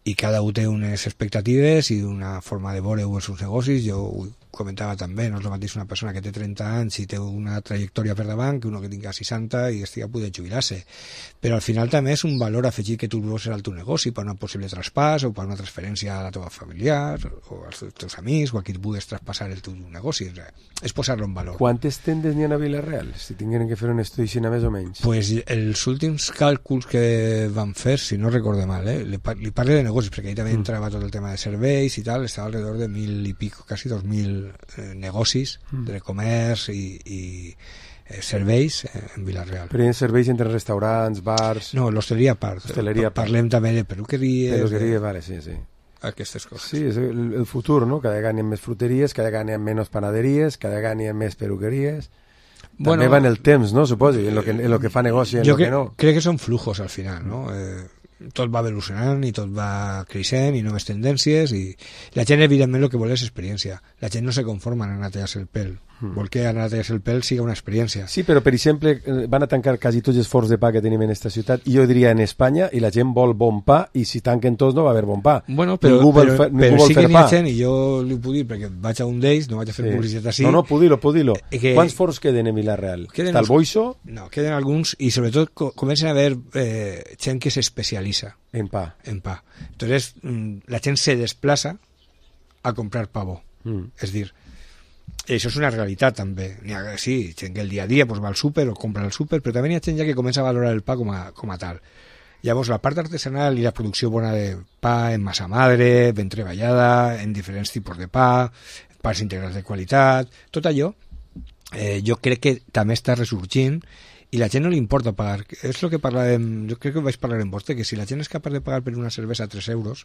i cada un té unes expectatives i una forma de veure els seus negocis. Jo ho comentava també, no és el mateix una persona que té trenta anys i té una trajectòria per davant que uno que tinga seixanta i estigui a punt de jubilar-se. Però al final també és un valor afegit que tu vols al teu negoci per un possible traspàs o per una transferència a la teva familiar o als teus amics o a qui et vulguis traspassar el teu negoci. És posar-lo en valor. Quantes tendes n'hi ha a Vila-real? Si tingueren que fer un estudi així més o menys. Pues els últims càlculs que van fer, si no recorde mal, eh? li, par li parle de negocis, perquè ahí també mm. entrava tot el tema de serveis i tal, estava alrededor de mil i pico, quasi dos mil eh, negocis mm. de comerç i, i eh, serveis eh, en Vila-real. Però hi ha serveis entre restaurants, bars... No, l'hostaleria a part. Hostaleria a part. Parlem també de peluqueries... Peluqueria, de... vale, sí, sí. Aquestes coses. Sí, és el, el futur, no? Cada vegada hi ha més fruteries, cada vegada hi ha menys panaderies, cada vegada hi ha més peluqueries... Bueno, també va en el temps, no? Suposo, en lo que, en lo que fa negoci, en jo lo que no. Crec que són flujos al final, no? Eh, tot va evolucionant i tot va creixent i noves tendències i la gent evidentment el que vol és experiència. La gent no se conforma en anar a tallar-se el pèl, mm. vol que anar a tallar-se el pèl sigui una experiència. Sí, però per exemple van a tancar quasi tots els forns de pa que tenim en esta ciutat i jo diria en Espanya i la gent vol bon pa i si tanquen tots no va haver bon pa. Bueno, però, ningú vol però, fer, però ningú sí vol que fer n'hi ha pa. gent i jo li puc dir perquè vaig a un d'ells, no vaig a fer sí. publicitat així. No, no, pudir-lo, pudir-lo. Que... Quants forns queden en Vila-real? Està el Boixo? No, queden alguns i sobretot co comencen a haver eh, gent que s'especialitza en pa. En pa. Entonces, la gent se desplaça a comprar pavo. Mm. És dir, això és una realitat també. Ha, sí, gent que el dia a dia pues, va al súper o compra al súper, però també hi ha gent ja que comença a valorar el pa com a, com a tal. Llavors, la part artesanal i la producció bona de pa en massa madre, ben treballada, en diferents tipus de pa, pans integrals de qualitat, tot allò, eh, jo crec que també està ressorgint i la gent no li importa pagar. És el que parlàvem, jo crec que vaig parlar en vostè, que si la gent és capaç de pagar per una cervesa tres euros,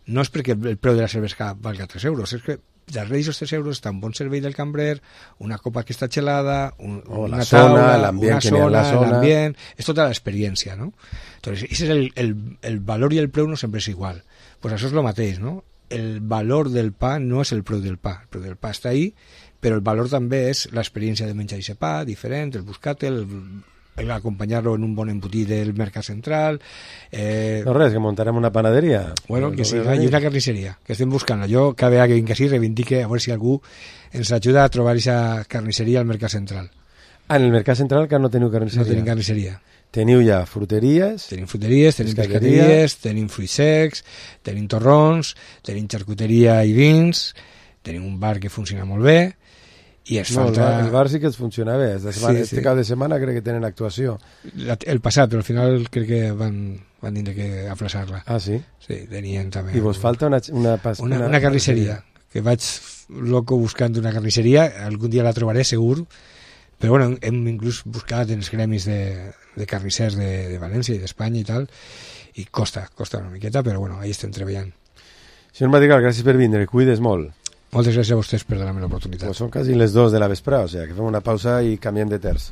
no és perquè el preu de la cervesa valga tres euros, és que darrere d'aquests tres euros està un bon servei del cambrer, una copa que està gelada, un, oh, una la taula, taula, una zona, la zona. l'ambient, és tota l'experiència, no? Entonces, ese es el, el, el valor i el preu no sempre és igual. Pues això és el mateix, no? El valor del pa no és el preu del pa, el preu del pa està ahí, però el valor també és l'experiència de menjar aquest pa, diferent, el buscar-te'l, el acompanyar-lo en un bon embotit del mercat central. Eh... No res, que muntarem una panaderia. Bueno, que sí, i una carnisseria, que estem buscant. Jo cada vegada que vinc així reivindique a veure si algú ens ajuda a trobar aquesta carnisseria al mercat central. Ah, en el mercat central que no teniu carnisseria? No tenim carnisseria. Teniu ja fruteries? Tenim fruteries, tenim pescaderies, tenim fruits secs, tenim torrons, tenim xarcuteria i vins, tenim un bar que funciona molt bé, i es no, falta... el bar sí que es funciona bé. Esta setmana, sí, este sí. cap de setmana crec que tenen actuació. La, el passat, però al final crec que van, van tindre que aplaçar-la. Ah, sí? Sí, tenien també... I vos falta una... Una, pas, una, una, una carnisseria, que vaig loco buscant una carnisseria, algun dia la trobaré segur, però bueno, hem inclús buscat en els gremis de, de carnissers de, de València i d'Espanya i tal, i costa, costa una miqueta, però bueno, ahí estem treballant. Senyor Madrigal, gràcies per vindre, cuides molt. Moltes gràcies a vostès per donar-me l'oportunitat. Pues són quasi les dos de la vesprada, o sigui que fem una pausa i canviem de terç.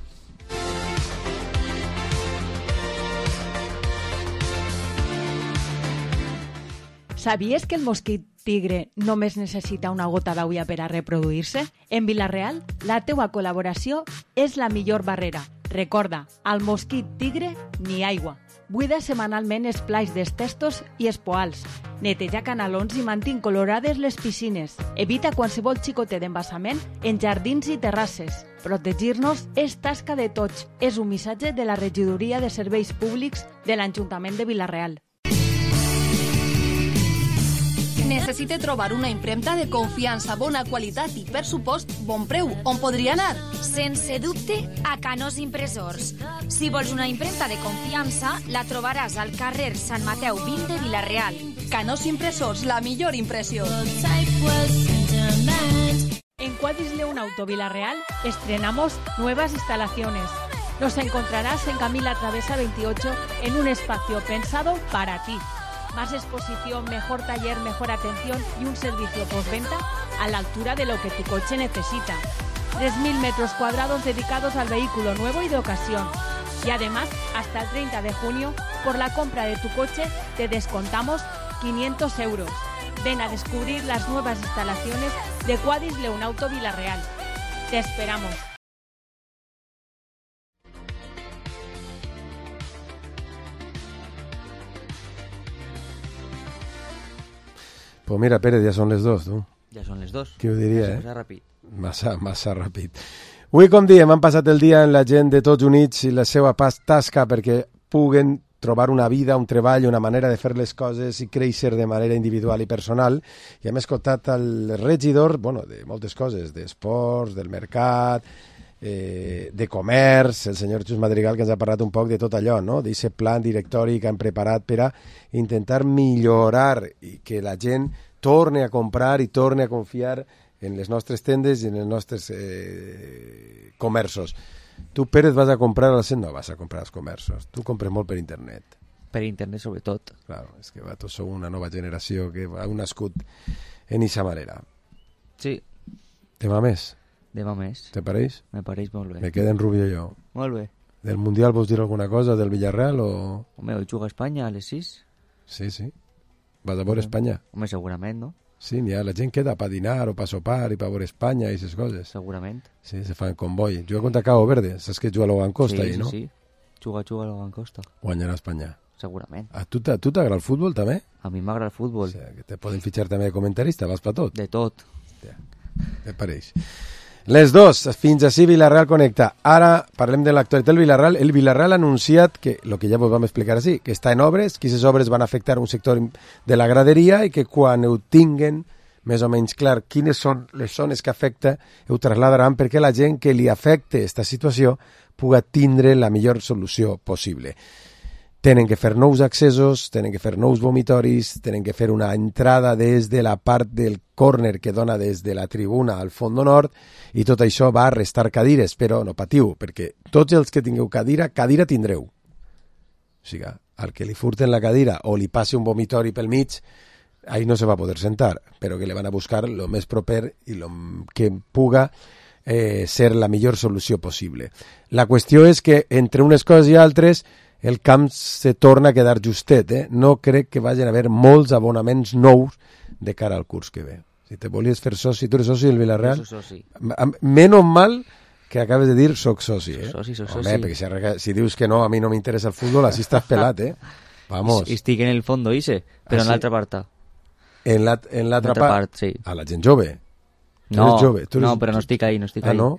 ¿Sabies que el mosquit tigre només necessita una gota d'aigua per a reproduir-se? En Vila-real, la teua col·laboració és la millor barrera. Recorda, al mosquit tigre ni aigua. Buida setmanalment els plats dels testos i els poals. Neteja canalons i mantén colorades les piscines. Evita qualsevol xicotet d'embassament en jardins i terrasses. Protegir-nos és tasca de tots. És un missatge de la Regidoria de Serveis Públics de l'Ajuntament de Vila-real. Necessite trobar una impremta de confiança, bona qualitat i, per supost, bon preu. On podria anar? Sense dubte, a Canós Impressors. Si vols una impremta de confiança, la trobaràs al carrer Sant Mateu vint de Vila-real. Canós Impressors, la millor impressió. En Quadis León Auto Vila-real estrenamos nuevas instalaciones. Nos encontrarás en Camila Travesa veintiocho en un espacio pensado para ti. Más exposición, mejor taller, mejor atención y un servicio postventa a la altura de lo que tu coche necesita. tres mil metros cuadrados dedicados al vehículo nuevo y de ocasión. Y además, hasta el treinta de junio, por la compra de tu coche, te descontamos quinientos euros. Ven a descubrir las nuevas instalaciones de Quadis León Auto Vila-real. Te esperamos. Pues mira, Pérez, ja són les dos, tu. Ja són les dos. Qui ho diria, Massa eh? ràpid. Massa, massa ràpid. Avui, com diem, han passat el dia en la gent de tots units i la seva pas tasca perquè puguen trobar una vida, un treball, una manera de fer les coses i créixer de manera individual i personal. I hem escoltat el regidor, bueno, de moltes coses, d'esports, del mercat, eh, de comerç, el senyor Xus Madrigal, que ens ha parlat un poc de tot allò, no? D'aquest plan directori que han preparat per a intentar millorar i que la gent torne a comprar i torne a confiar en les nostres tendes i en els nostres eh, comerços. Tu, Pérez, vas a comprar al centre? No vas a comprar als comerços. Tu compres molt per internet. Per internet, sobretot. Claro, és que va, tots sou una nova generació que ha nascut en eixa manera. Sí. Demà més? Demà més. Te pareix? Me pareix molt bé. Me queda en Rubio jo. Molt bé. Del Mundial vols dir alguna cosa? Del Villarreal o...? Home, hoy juga Espanya a les sis. Sí, sí. Vas a veure Espanya? Home, segurament, no? Sí, n'hi ha, la gent queda per dinar o per sopar i per veure Espanya i aquestes coses. Segurament. Sí, se fan convoi. Juga contra Cabo Verde, saps que juga a Logan Costa, sí, ahí, no? Sí, sí, juga, juga a Logan Costa. Guanyarà Espanya. Segurament. A tu t'agrada el futbol, també? A mi m'agrada el futbol. O sigui, que te poden fitxar també de comentarista, vas per tot. De tot. Ja, te pareix. Les dos, fins així Villarreal Connecta. Ara parlem de l'actualitat del Villarreal. El Villarreal ha anunciat que, el que ja vos vam explicar així, que està en obres, que aquestes obres van afectar un sector de la graderia i que quan ho tinguen més o menys clar quines són les zones que afecta, ho trasladaran perquè la gent que li afecte aquesta situació pugui tindre la millor solució possible. Tenen que fer nous accessos, tenen que fer nous vomitoris, tenen que fer una entrada des de la part del córner que dona des de la tribuna al fondo nord i tot això va a restar cadires, però no patiu, perquè tots els que tingueu cadira, cadira tindreu. O sigui, al que li furten la cadira o li passi un vomitori pel mig, ahí no se va a poder sentar, però que le van a buscar lo més proper i lo que puga eh, ser la millor solució possible. La qüestió és que entre unes coses i altres el camp se torna a quedar justet, eh? No crec que vagin a haver molts abonaments nous de cara al curs que ve. Si te volies fer soci, tu eres soci del Villarreal? Soc soci. Menos mal que acabes de dir soc soci, eh? Soc soci, soc Home, soci. perquè si, si dius que no, a mi no m'interessa el futbol, així estàs pelat, eh? Vamos. Estic en el fondo, Ise, però Ah, en sí? l'altra part. En l'altra En l'altra part? part, sí. A la gent jove? Tu No, eres jove? Tu eres... no, però no estic ahí, no estic ah, ahí. no?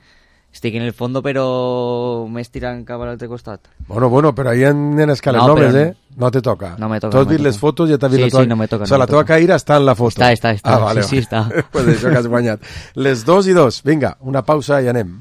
Estic en el fondo, però m'he tirant cap a l'altre costat. Bueno, bueno, però ahí en escales No, noves, però eh? No te toca. No me toca. Tu has no me vist les toca. fotos i ja t'has vist sí, la teva... Sí, no me toca. O sigui, no la me teva toca. caïra està en la foto. Està, està, està. Ah, vale, sí, sí, vale. està. Pues això que has guanyat. Les dos i dos. Vinga, una pausa i anem.